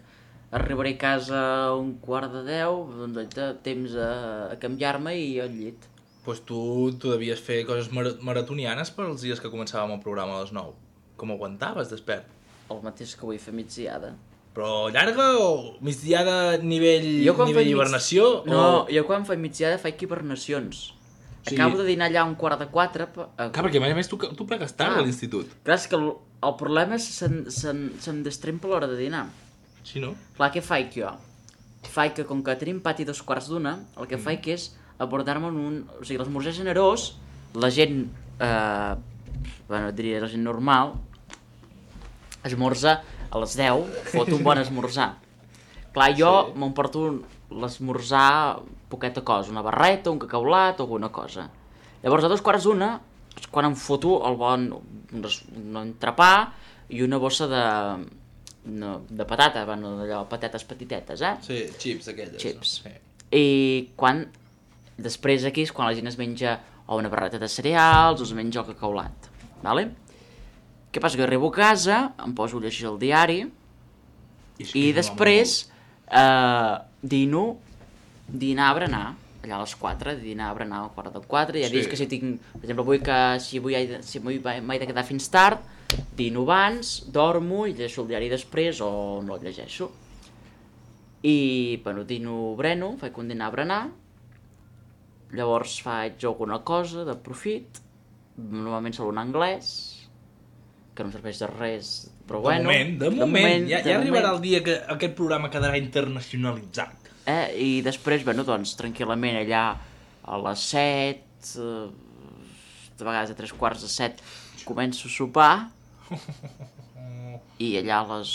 S2: arribaré a casa a un quart de deu, doncs allà, temps a, a canviar-me i al llit.
S3: Pues tu, tu devies fer coses mar maratonianes per als dies que començàvem el programa a les nou. Com aguantaves despert?
S2: El mateix que vull fer migdiada.
S3: Però llarga o migdiada nivell,
S2: Jo quan
S3: nivell
S2: faig mig-
S3: hibernació?
S2: No,
S3: o...
S2: jo quan faig migdiada faig hibernacions.
S3: Sí.
S2: Acabo de dinar allà a un quart de quatre... pa- eh,
S3: Clar, perquè a més a més tu, tu plegues tard
S2: Ah.
S3: a l'institut.
S2: Clar, és que el, el problema és que se'm, se'm, se'm destrempa l'hora de dinar.
S3: Sí, no?
S2: Clar, què faig jo? Faig que, com que tenim pati dos quarts d'una, el que mm. faig és abordar-me en un... O sigui, l'esmorzar generós, la gent... Eh, bueno, diria la gent normal, esmorza a les deu, fot un bon esmorzar. Clar, jo
S3: Sí.
S2: m'emporto l'esmorzar poqueta cosa, una barreta, un cacaulat o alguna cosa. Llavors, a dos quarts d'una, és quan em foto el bon un, es- un entrepà i una bossa de, no, de patata, bueno, d'allò, patates petitetes, eh?
S3: Sí, chips aquelles.
S2: Chips.
S3: Sí.
S2: I quan... Després aquí és quan la gent es menja o una barreta de cereals o es menja el cacaulat, vale? Què passa? Que arribo a casa, em poso a llegir el diari
S3: és
S2: i
S3: que
S2: després eh, dino, dinar a berenar, allà a les quatre, dinar a berenar a quart de quatre, ja
S3: Sí.
S2: dius que si tinc, per exemple, vull que si avui he de, si avui m'he de quedar fins tard, dino abans, dormo i llegeixo el diari després o no el llegeixo. I, bueno, dino breno, faig un dinar a berenar, llavors faig alguna cosa de profit, normalment solo en anglès, que no em serveix de res, però
S3: De
S2: bueno...
S3: moment, de, moment, ja,
S2: de
S3: ja arribarà
S2: moment.
S3: el dia que aquest programa quedarà internacionalitzat.
S2: Eh? I després, bueno, doncs, tranquil·lament allà a les set, eh, de vegades a tres quarts de set, començo a sopar, i allà a les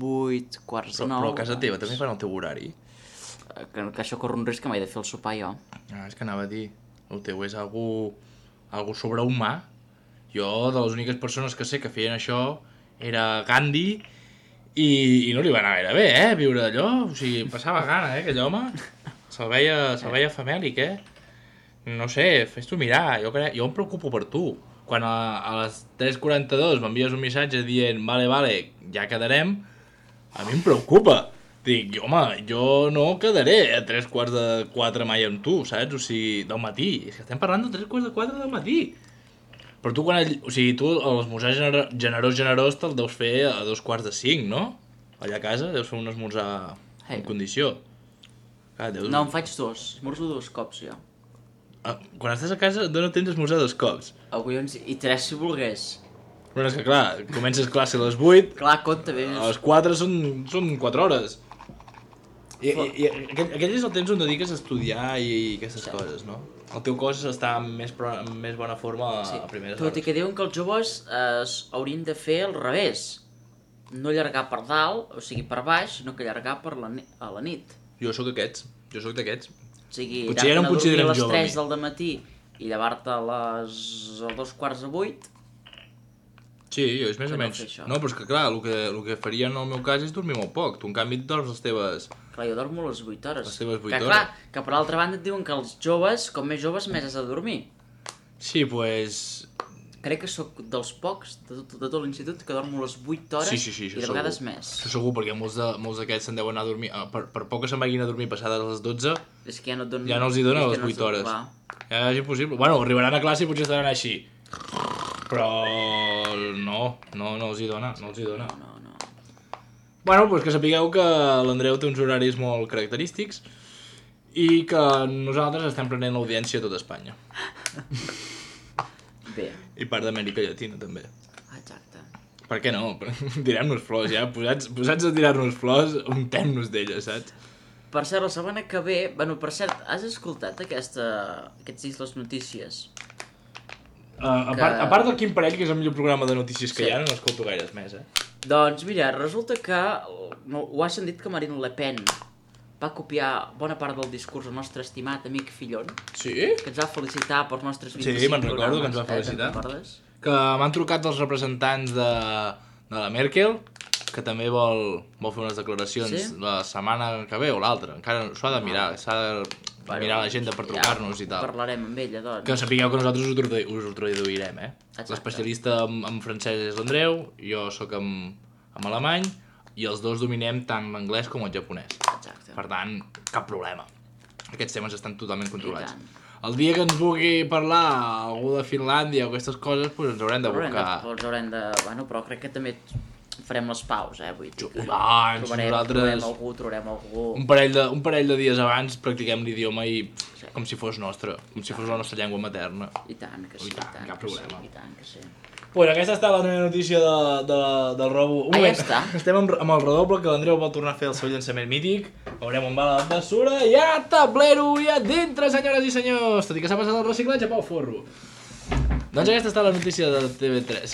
S2: vuit, quarts
S3: Però,
S2: de nou...
S3: però a casa teva també fan el teu horari.
S2: eh, Que, que això corre un risc que m'he de fer el sopar jo.
S3: Ah, és que anava a dir, el teu és algú, algú sobrehumà Jo, de les úniques persones que sé que feien això, era Gandhi, i, i no li va anar gaire bé, eh, viure allò. O sigui, passava gana, eh, aquell home. Se'l veia, se'l veia famèlic, eh. No sé, fes-t'ho mirar, jo, crec, jo em preocupo per tu. Quan a, a les tres quaranta-dos m'envies un missatge dient vale, vale, ja quedarem, a mi em preocupa. Dic, home, jo no quedaré a tres quarts de quatre mai amb tu, saps? O sigui, del matí. És que estem parlant de tres quarts de quatre del matí. Però tu, quan... O sigui, tu l'esmorzar gener... generós, generós te'l deus fer a dos quarts de cinc, no? Allà a casa deus fer un esmorzar hey. en condició. Clar, deus...
S2: No, em faig dos. Esmorzo dos cops, jo.
S3: Ah, quan estàs a casa, no tens esmorzar dos cops.
S2: Avui ens... I tres, si volgués.
S3: Però és que, clar, comences classe a les vuit...
S2: Clar, compte bé.
S3: A les quatre són, són quatre hores. I, i, i aquell, aquell és el temps on dediques a estudiar i, i aquestes sí. coses, no? El teu cos està en més, en més bona forma a, sí. a primeres
S2: hores. Tot i que diuen que els joves eh, haurien de fer al revés. No allargar per dalt, o sigui per baix, sinó que allargar per la, a la nit.
S3: Jo sóc d'aquests, jo sóc d'aquests.
S2: O sigui, potser ja no em considerem jove. A les tres del dematí i llevar-te a les a dos quarts de vuit.
S3: Sí, jo és més o menys. No, però és que clar, el que, el que faria en el meu cas és dormir molt poc. Tu, en canvi, et dorms les teves...
S2: Clar, jo dormo les vuit hores.
S3: Les teves vuit
S2: que,
S3: hores.
S2: Clar, que per l'altra banda et diuen que els joves, com més joves, més has de dormir.
S3: Sí, pues...
S2: Crec que sóc dels pocs de tot, de tot l'institut que dormo les vuit hores
S3: sí, sí, sí,
S2: i de vegades
S3: segur.
S2: més.
S3: Això segur, perquè molts d'aquests se'n deuen anar a dormir... Per, per poc que se'n vagin a dormir passades les dotze,
S2: és que ja no, et donen,
S3: ja no els hi donen les
S2: no
S3: vuit hores.
S2: Clar.
S3: Ja és impossible. Bueno, arribaran a classe i potser estaran així. Però no, no, no els hi dona, no els hi dona.
S2: No, no, no.
S3: Bueno, doncs que sapigueu que l'Andreu té uns horaris molt característics i que nosaltres estem prenent l'audiència a tot Espanya.
S2: Bé.
S3: I part d'Amèrica Llatina, també.
S2: Exacte.
S3: Per què no? Tirem-nos flors, ja. Posats, posats a tirar-nos flors, untem-nos d'elles, saps?
S2: Per cert, la setmana que ve... Bueno, per cert, has escoltat aquesta... aquests dies les notícies?
S3: Uh, a,
S2: que...
S3: part, a part del Quim Parell, que és el millor programa de notícies que sí. hi ha, no escolto gaires més, eh?
S2: Doncs mira, resulta que... No, ho has sentit que Marine Le Pen va copiar bona part del discurs del nostre estimat amic Fillon.
S3: Sí?
S2: Que ens va felicitar pels nostres vint-i-cinc
S3: sí, me'n recordo que ens va felicitar.
S2: Eh,
S3: que m'han trucat els representants de, de la Merkel, que també vol, vol fer unes declaracions sí? la setmana que ve o l'altra. Encara s'ho ha de mirar, s'ha de bueno, mirar l'agenda per trucar-nos ja, i tal.
S2: Parlarem amb ella, doncs.
S3: Que sapigueu que nosaltres us ho, tradu us ho traduirem, eh? L'especialista en, en francès és l'Andreu, jo sóc en, en alemany, i els dos dominem tant l'anglès com el japonès.
S2: Exacte.
S3: Per tant, cap problema. Aquests temes estan totalment controlats. El dia que ens vulgui parlar algú de Finlàndia o aquestes coses, doncs ens haurem de buscar...
S2: Ens haurem de... Bueno, però crec que també farem les paus, eh? Vull dir que
S3: abans,
S2: trobarem,
S3: nosaltres...
S2: trobarem algú, trobarem algú...
S3: Un parell, de, un parell de dies abans practiquem l'idioma i sí. com si fos nostre, com si fos la nostra llengua materna.
S2: I tant que sí,
S3: I tant,
S2: i tant
S3: cap
S2: que
S3: problema.
S2: sí, i tant que sí.
S3: Pues aquesta està la meva notícia de, de, del robo. Un
S2: ah,
S3: moment,
S2: ja està.
S3: Estem amb, amb el redoble, que l'Andreu vol tornar a fer el seu llançament mític. Veurem on va la bessura. I a tablero i a dintre, senyores i senyors. Tot i que s'ha passat el reciclatge pel forro. Doncs aquesta està la notícia de T V tres.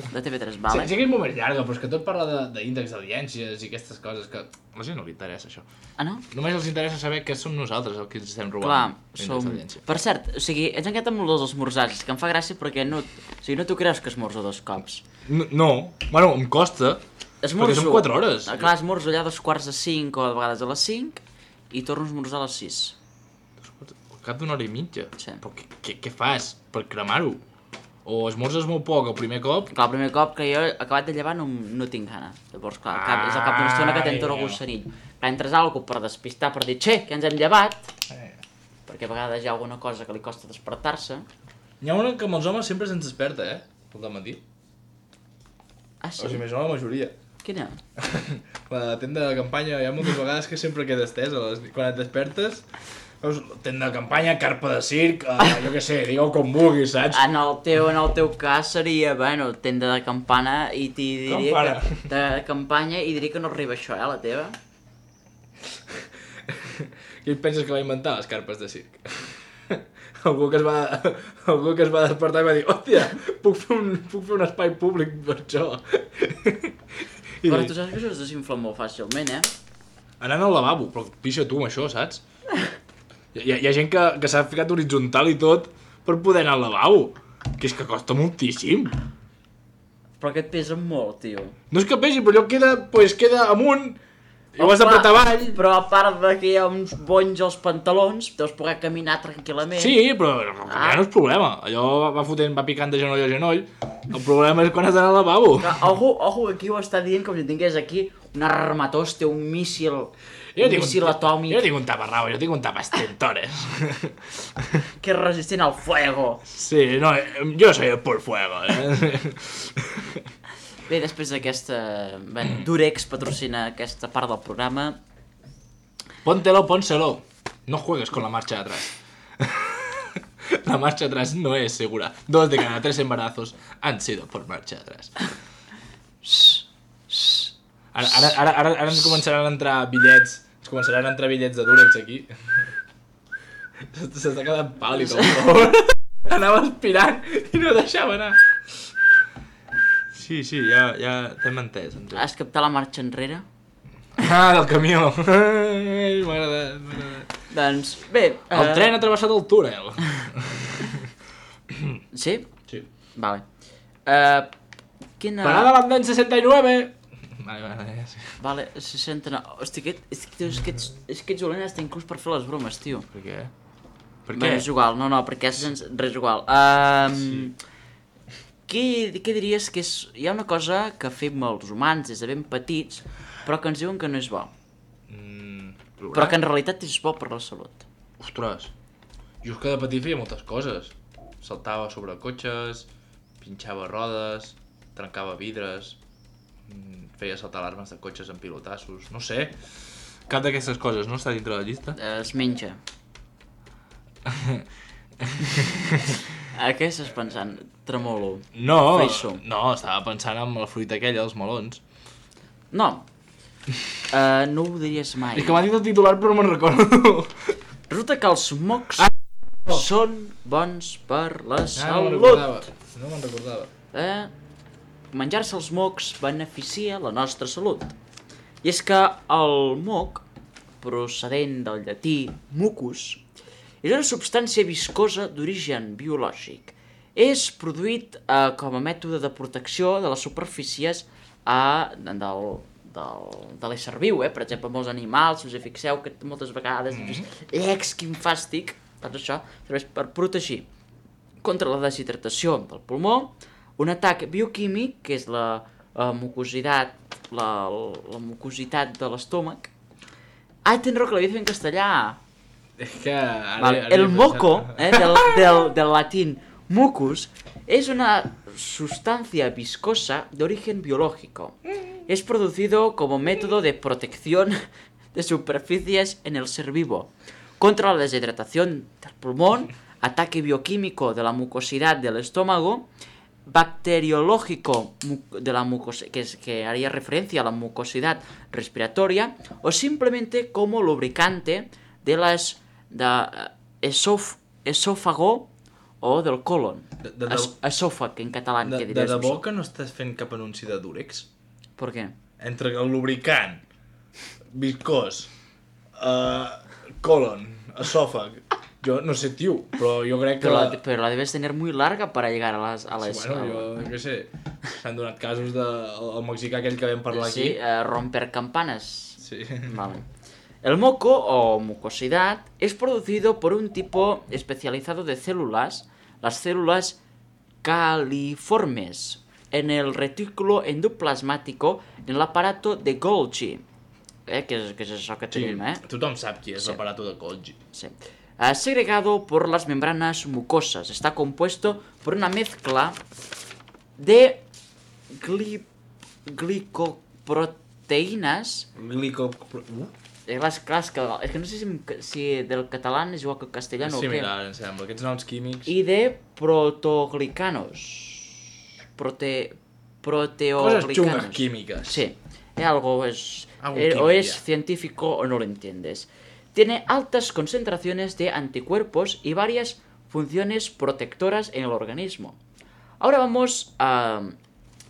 S2: De T V tres, vale.
S3: Sí, sí que és molt més llarga, però és que tot parla d'índex d'audiències i aquestes coses que... A la gent no li interessa, això.
S2: Ah, no?
S3: Només els interessa saber què som nosaltres els que ens estem robant.
S2: Clar, som... Per cert, o sigui, ets enquet amb els esmorzars, que em fa gràcia perquè no... O sigui, no t'ho creus que esmorzo dos cops.
S3: No, no. Bueno, em costa.
S2: Esmorzo...
S3: Perquè són quatre hores.
S2: Ah, clar, esmorzo allà a dos quarts de cinc o de vegades a les cinc i torno a esmorzar a les sis.
S3: Al cap d'una hora i mitja?
S2: Sí.
S3: Però què, què, què fas per cremar-ho? O esmorzes molt poc el primer cop?
S2: Clar, el primer cop que jo he acabat de llevar no, no tinc gana. Llavors, clar, cap, és al cap d'una estona que t'entra el gusserill. Clar, entres algú per despistar, per dir, xe, que ens hem llevat, eh. perquè a vegades hi ha alguna cosa que li costa despertar-se.
S3: N'hi ha una que amb els homes sempre se'ns desperta, eh? Pel dematí.
S2: Ah, sí?
S3: O sigui, més o menys la majoria.
S2: Quina?
S3: La tenda de campanya, hi ha moltes vegades que sempre queda estesa. Quan et despertes... Veus, tenda de campanya, carpa de circ, uh, jo què sé, digueu com vulguis, saps?
S2: En el teu, en el teu cas seria, bueno, tenda de campana i t'hi diria
S3: campana.
S2: que... De campanya i diria que no arriba això, eh, la teva?
S3: Qui et penses que va inventar les carpes de circ? Algú que es va, algú que es va despertar i va dir, hòstia, puc fer un, puc fer un espai públic per això. I
S2: però tu saps que això es desinfla molt fàcilment, eh?
S3: Anant al lavabo, però pixa tu amb això, saps? Hi ha, hi ha gent que, que s'ha ficat horitzontal i tot per poder anar al lavabo. Que és que costa moltíssim.
S2: Però que et pesa molt, tio.
S3: No és que pesi, però allò queda, pues, queda amunt i ho has d'apretar avall.
S2: Però a part de que hi ha uns bonys als pantalons, deus poder caminar tranquil·lament.
S3: Sí, però ah. no és problema. Allò va fotent, va picant de genoll a genoll. El problema és quan has d'anar al lavabo.
S2: Però, ojo, ojo, aquí ho està dient com si tingués aquí un armatoste, un míssil, un míssil atòmic.
S3: Jo tinc un taparrau, jo tinc un tapastentores.
S2: Que és resistent al fuego.
S3: Sí, no, jo soy el por fuego, eh?
S2: Bé, després d'aquesta... Bé, Durex patrocina aquesta part del programa.
S3: Póntelo, pónselo. No juegues con la marcha de atrás. La marcha atrás no es segura. Dos de cada tres embarazos han sido por marcha atrás. Ara, ara, ara, ara, ara ens començaran a entrar bitllets. Ens començaran a entrar bitllets de Durex aquí. S'està quedant pàl·lid, el anava aspirant i no deixava anar. Sí, sí, ja, ja t'hem entès. entès.
S2: Has captat la marxa enrere?
S3: Ah, del camió. Ai, m'ha agradat, m'ha agradat.
S2: Doncs, bé...
S3: El
S2: uh...
S3: tren ha travessat el túnel.
S2: Sí?
S3: Sí.
S2: Vale. Uh, quina...
S3: Parada l'andén seixanta i nueve. Vale, vale, ja sí.
S2: Vale, seixanta-nou. Hosti, aquest, és, que, és, que ets, és que ets dolent hasta inclús per fer les bromes, tio.
S3: Per què? Per
S2: Bé,
S3: què?
S2: és igual, no, no, perquè és sens... res igual. Um, sí. què, què diries que és... Hi ha una cosa que fem els humans des de ben petits, però que ens diuen que no és bo.
S3: Mm,
S2: però que en realitat és bo per la salut.
S3: Ostres, jo és que de petit feia moltes coses. Saltava sobre cotxes, pinxava rodes, trencava vidres, feia saltar alarmes de cotxes amb pilotassos, no sé. Cap d'aquestes coses no està dintre la llista?
S2: Es menja. A què estàs pensant? Tremolo.
S3: No,
S2: Friso.
S3: no, estava pensant en la fruita aquella, els melons.
S2: No. Uh, no ho diries mai.
S3: És que m'ha dit el titular però no me'n recordo.
S2: Resulta que els mocs
S3: Ah, no.
S2: són bons per la
S3: Ah, no me'n
S2: salut.
S3: recordava. No me'n recordava.
S2: Eh? Menjar-se els mocs beneficia la nostra salut. I és que el moc, procedent del llatí mucus, és una substància viscosa d'origen biològic. És produït eh, com a mètode de protecció de les superfícies eh, del, del, de l'ésser viu, eh? Per exemple, molts animals, si us hi fixeu que moltes vegades mm-hmm. Ex, quin fàstic, doncs això serveix per protegir contra la deshidratació del pulmó, un atac bioquímic, que és la, la mucositat, la, la mucositat de l'estómac. Ai, tens raó que l'havia de fer en castellà.
S3: És que... Ara,
S2: Vale.
S3: ara
S2: El moco, eh, del, del, del latín mucus, es una sustancia viscosa de origen biológico. Es producido como método de protección de superficies en el ser vivo, contra la deshidratación del pulmón, ataque bioquímico de la mucosidad del estómago, bacteriológico de la mucosidad, que, es, que haría referencia a la mucosidad respiratoria, o simplemente como lubricante de las de esof, esófago o del colon.
S3: De, de, de,
S2: Es, esòfag, en català.
S3: de,
S2: que
S3: de
S2: diries
S3: debò
S2: tu?
S3: que no estàs fent cap anunci de Durex?
S2: Per què?
S3: Entre el lubricant, viscós, uh, colon, esòfag... Jo no sé, tio, però jo crec que...
S2: Pero la, pero la debes tener muy larga para llegar a las... A les,
S3: Sí, bueno, jo què sé, s'han donat casos del de, el mexicà aquell que vam parlar
S2: sí,
S3: aquí.
S2: eh, romper campanas.
S3: Sí.
S2: Vale. El moco o mucosidad es producido por un tipo especializado de células, las células califormes, en el retículo endoplasmático en el aparato de Golgi. Eh, que, és, que és això que
S3: Sí,
S2: tenim, eh?
S3: tothom sap qui és
S2: Sí.
S3: l'aparato de Golgi.
S2: Sí. Uh, segregado por las membranas mucosas. Está compuesto por una mezcla de gli glicoproteínas.
S3: Glico... Uh?
S2: Eh, les, clar, és, que, és que no sé si, si del català és igual que el castellà
S3: És
S2: o què.
S3: similar, em sembla. Aquests noms químics...
S2: I de protoglicanos. Prote...
S3: Coses
S2: Proteoglicanos.
S3: xungues químiques.
S2: Sí. Eh, algo es...
S3: Algo
S2: eh, o
S3: químico,
S2: es
S3: ya.
S2: científico o no lo entiendes. Tiene altas concentraciones de anticuerpos y varias funciones protectoras en el organismo. Ahora vamos a,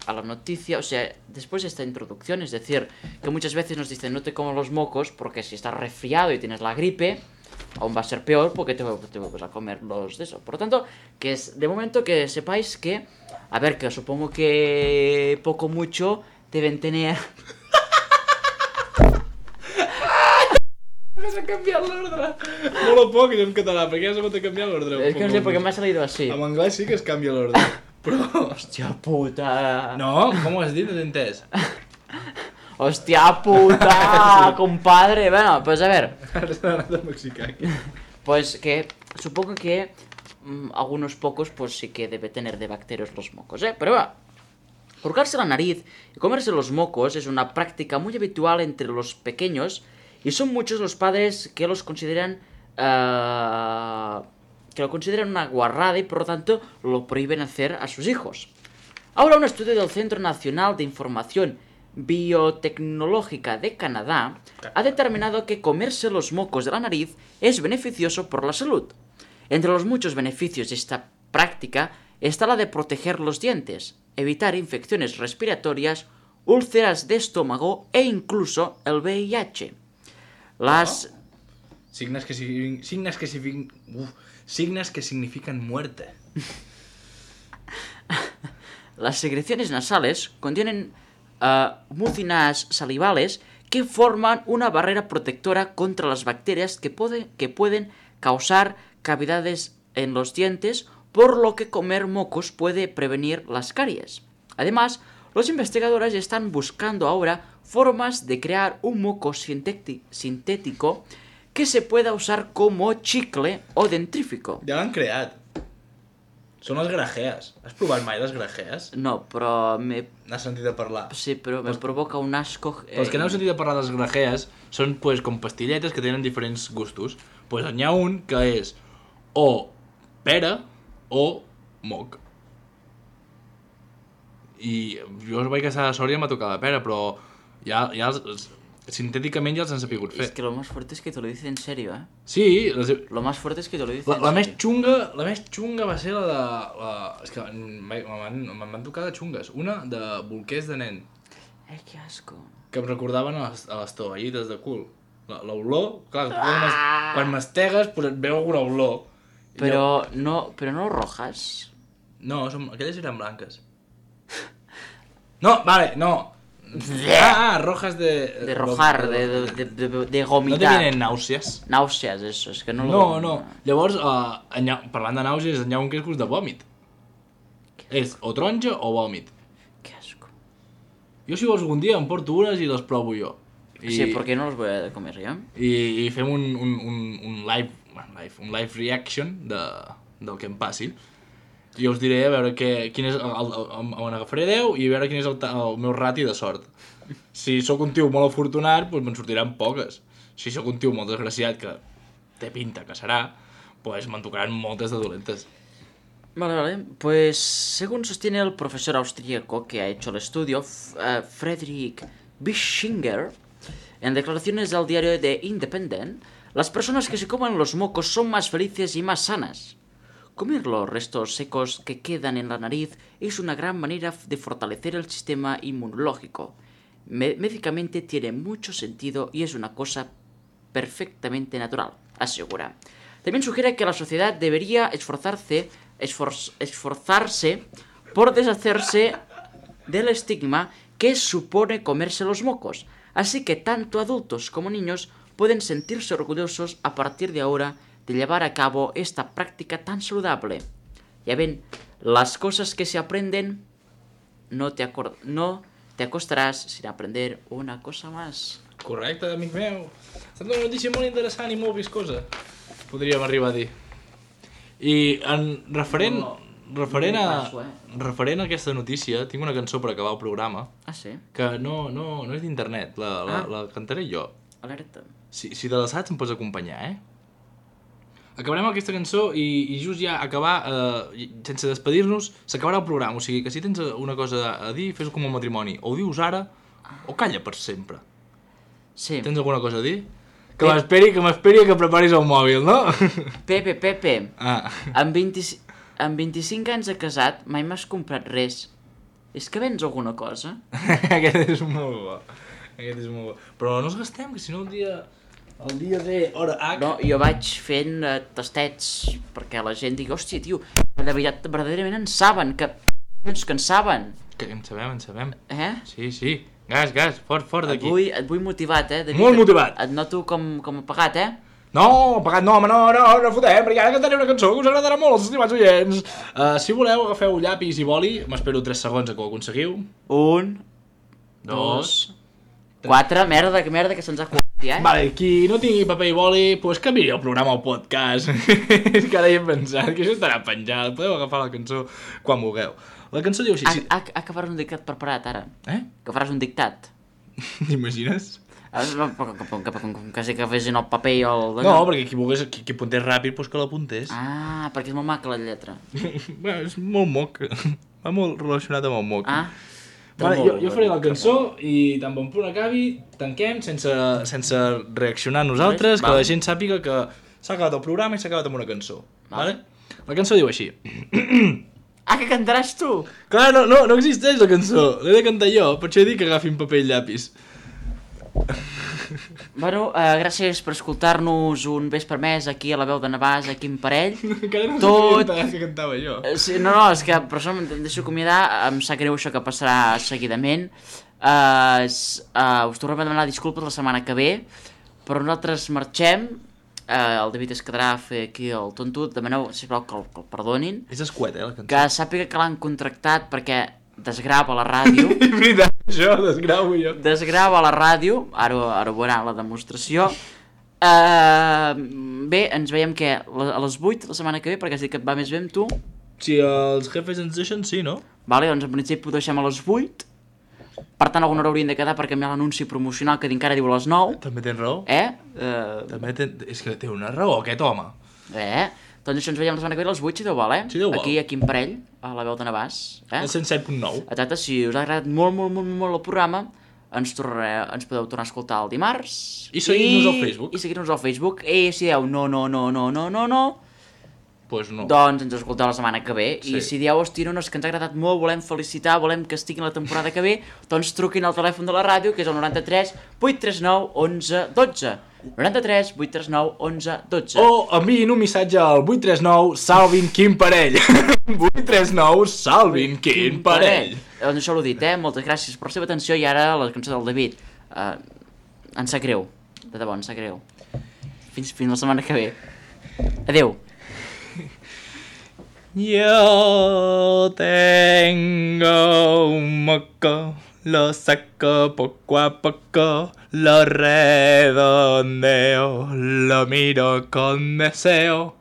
S2: a la noticia, o sea, después de esta introducción, es decir, que muchas veces nos dicen no te comas los mocos porque si estás resfriado y tienes la gripe, aún va a ser peor porque te, te vas a comer los de eso. Por lo tanto, que es de momento que sepáis que, a ver, que supongo que poco mucho deben tener...
S3: Vas a canviar l'ordre. Molt poc és en català, perquè has hagut de canviar l'ordre.
S2: Es que no sé por qué me ha salido así.
S3: En anglès sí que es canvia l'ordre. Però...
S2: Hòstia puta...
S3: No, com ho has dit? No t'he entès.
S2: Hòstia puta, compadre. Bueno, pues a ver.
S3: Ara s'ha anat al mexicà aquí.
S2: Pues que supongo que mmm, algunos pocos pues sí que debe tener de bacterias los mocos, ¿eh? Pero va. Hurgarse la nariz y comerse los mocos es una práctica muy habitual entre los pequeños y son muchos los padres que los consideran uh, que lo consideran una guarrada y por lo tanto lo prohíben hacer a sus hijos. Ahora un estudio del Centro Nacional de Información Biotecnológica de Canadá ha determinado que comerse los mocos de la nariz es beneficioso por la salud. Entre los muchos beneficios de esta práctica está la de proteger los dientes, evitar infecciones respiratorias, úlceras de estómago e incluso el V I H. Las...
S3: Oh. Signes que, si... Signes, que si... Uf. Signes que significan muerte.
S2: Las secreciones nasales contienen uh, mucinas salivales que forman una barrera protectora contra las bacterias que, puede, que pueden causar cavidades en los dientes, por lo que comer mocos puede prevenir las caries. Además, los investigadores están buscando ahora formas de crear un moco sintético que se pueda usar como chicle o dentrífico.
S3: Ja l'han creat. Són les grajees. Has provat mai les grajees?
S2: No, però me...
S3: N'has sentit a parlar?
S2: Sí, però me provoca un asco...
S3: Eh... Els que no heu sentit a parlar de les grajees són pues, com pastilletes que tenen diferents gustos. Pues n'hi ha un que és o pera o moc. I jo vaig a Sòria i m'ha tocat la pera, però ja, ja els, els, sintéticament ja els han sapigut fer.
S2: Es que lo más fuerte es que te lo dice en serio, ¿eh?
S3: Sí. Les...
S2: Lo más fuerte es que te lo dice
S3: la,
S2: en
S3: la
S2: serio.
S3: més xunga, la més xunga va ser la de... La... És que me'n van tocar de xungues. Una de bolquers de nen.
S2: Eh, que asco.
S3: Que em recordaven a les, a les tovallites de cul. L'olor, clar, quan, mas, quan mastegues pues et veu alguna olor.
S2: Però no, però no rojas.
S3: No, som, aquelles eren blanques. No, vale, no. Ah, ah, rojas de...
S2: De rojar, de, de, de, de gomitar.
S3: No te vienen náuseas?
S2: Náuseas, eso, es que no lo...
S3: No, no. Llavors, uh, ha, parlant de nàusees, hi ha un que és gust de vòmit. És o taronja o vòmit.
S2: Que asco.
S3: Jo si vols algun dia em porto unes i les provo jo. I,
S2: sí, porque no los voy a comer yo.
S3: I, i fem un, un, un, un, live, live, un live reaction de, del que em passi. I us diré a veure que, quin és el, el, el, on agafaré deu i a veure quin és el, el meu rati de sort. Si sóc un tio molt afortunat, doncs me'n sortiran poques. Si sóc un tio molt desgraciat, que té pinta que serà, doncs me'n tocaran moltes de dolentes.
S2: Vale, vale. Pues según sostiene el profesor austríaco que ha hecho el estudio, uh, Friedrich Bischinger, en declaraciones al diario The Independent, las personas que se comen los mocos son más felices y más sanas. Comer los restos secos que quedan en la nariz es una gran manera de fortalecer el sistema inmunológico. Me- médicamente tiene mucho sentido y es una cosa perfectamente natural, asegura. También sugiere que la sociedad debería esforzarse, esfor- esforzarse por deshacerse del estigma que supone comerse los mocos, así que tanto adultos como niños pueden sentirse orgullosos a partir de ahora de llevar a cabo esta práctica tan saludable. Ya ven, las cosas que se aprenden, no te, acord- no te acostaràs sin aprender una cosa más.
S3: Correcte, amic meu. Ha estat una notícia molt interessant i molt viscosa, podríem arribar a dir. I en referent,
S2: No,
S3: referent,
S2: no
S3: a,
S2: passo, eh?
S3: referent a aquesta notícia, tinc una cançó per acabar el programa,
S2: Ah, sí?
S3: que no, no, no és d'internet, la, la,
S2: Ah.
S3: la cantaré jo.
S2: Alerta.
S3: Si, si te la saps em pots acompanyar, eh? Acabarem aquesta cançó i, i just ja acabar, eh, sense despedir-nos, s'acabarà el programa. O sigui que si tens una cosa a dir, fes-ho com un matrimoni. O ho dius ara, o calla per sempre.
S2: Sí.
S3: Tens alguna cosa a dir? Que m'esperi, que m'esperi que preparis el mòbil, no?
S2: Pepe, Pepe,
S3: Ah.
S2: amb, vint, amb vint-i-cinc anys de casat mai m'has comprat res. És que vens alguna cosa?
S3: Aquest és molt bo. Aquest és molt bo. Però no ens gastem, que si no el dia... El dia de hora H.
S2: No, jo vaig fent uh, tastets perquè la gent digui, hòstia, tio, de veritat, verdaderament en saben, que, que en saben.
S3: Que en sabem, en sabem.
S2: Eh?
S3: Sí, sí. Gas, gas, fort, fort d'aquí.
S2: Et vull, et vull motivat, eh? David,
S3: Molt motivat.
S2: Et, et noto com, com apagat, eh?
S3: No, pagat no, home, no, no, no fotem, perquè ara cantaré una cançó que us agradarà molt als estimats oients. Uh, si voleu, agafeu llapis i boli, m'espero tres segons a que ho aconseguiu.
S2: Un, dos, quatre, merda, que merda que se'ns ha acudat, eh?
S3: Vale, qui no tingui paper i boli, pues que miri el programa al podcast. És que ara hi he pensat que això estarà penjat, podeu agafar la cançó quan vulgueu. La cançó diu així...
S2: Ah,
S3: si...
S2: ah, ah, que faràs un dictat preparat, ara.
S3: Eh?
S2: Que faràs un dictat.
S3: T'imagines?
S2: Ah, no, que, que, que, que, quasi que fessin el paper i el...
S3: No, perquè qui volgués, qui, qui apuntés ràpid, pues que l'apuntés.
S2: Ah, perquè és molt maca la lletra.
S3: Bé, és molt moc. Va molt relacionat amb el moc.
S2: Ah,
S3: Vale, jo, jo faré la cançó i tan bon punt acabi, tanquem sense, sense reaccionar nosaltres, que la gent sàpiga que s'ha acabat el programa i s'ha acabat amb una cançó. Vale? La cançó diu així.
S2: Ah, que cantaràs tu?
S3: Clar, no, no, no existeix la cançó, l'he de cantar jo, per això he dit que agafin paper i llapis.
S2: Bueno, uh, gràcies per escoltar-nos un vespre més aquí a la veu de Navàs, aquí en parell.
S3: Encara no
S2: Tot...
S3: sabia que cantava jo.
S2: Uh, sí, no, no, és que per això em deixo acomiadar, em sap greu això que passarà seguidament. Uh, uh, us tornem a demanar disculpes la setmana que ve, però nosaltres marxem, uh, el David es quedarà a fer aquí el tontut, demaneu, sisplau, que el, que el perdonin.
S3: És escuet, eh, la cançó.
S2: Que sàpiga que l'han contractat perquè desgrava la ràdio.
S3: És veritat, això, desgravo jo.
S2: Desgrava la ràdio, ara, ara ho veurà la demostració. Uh, bé, ens veiem que a les vuit la setmana que ve, perquè has dit que et va més bé amb tu.
S3: Si els jefes ens deixen, sí, no?
S2: Vale, doncs en principi ho deixem a les vuit. Per tant, alguna hora haurien de quedar per canviar l'anunci promocional que encara diu a les nou.
S3: També tens raó.
S2: Eh? Uh,
S3: També ten... És que té una raó, aquest home.
S2: eh? Doncs això ens veiem la setmana que ve a les vuit, si Déu vol, eh?
S3: Si Déu vol.
S2: Aquí, aquí en parell, a la veu de Navàs. Eh?
S3: El cent set punt nou.
S2: Exacte, si us ha agradat molt, molt, molt, molt el programa, ens, tornaré, ens podeu tornar a escoltar el dimarts.
S3: I seguir-nos al Facebook.
S2: I seguir-nos al Facebook. I si dieu no, no, no, no, no, no, no,
S3: Pues no.
S2: doncs ens escolteu la setmana que ve.
S3: Sí.
S2: I si dieu, hosti, no, no, és que ens ha agradat molt, volem felicitar, volem que estiguin la temporada que ve, doncs truquin al telèfon de la ràdio, que és el noranta-tres vuit tres nou onze dotze. noranta-tres vuit tres nou onze dotze.
S3: O enviïn un missatge al vuit tres nou salvin quin parell. vuit tres nou salvin quin parell.
S2: Doncs això l'ho dit, eh? Moltes gràcies per la seva atenció i ara la cançó del David. Uh, ens sap greu, de debò, ens sap greu. Fins, fins la setmana que ve. Adeu.
S3: Yo tengo un moco, lo saco poco a poco, lo redondeo, lo miro con deseo.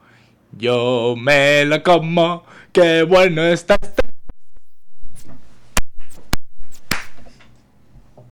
S3: Yo me lo como, qué bueno está este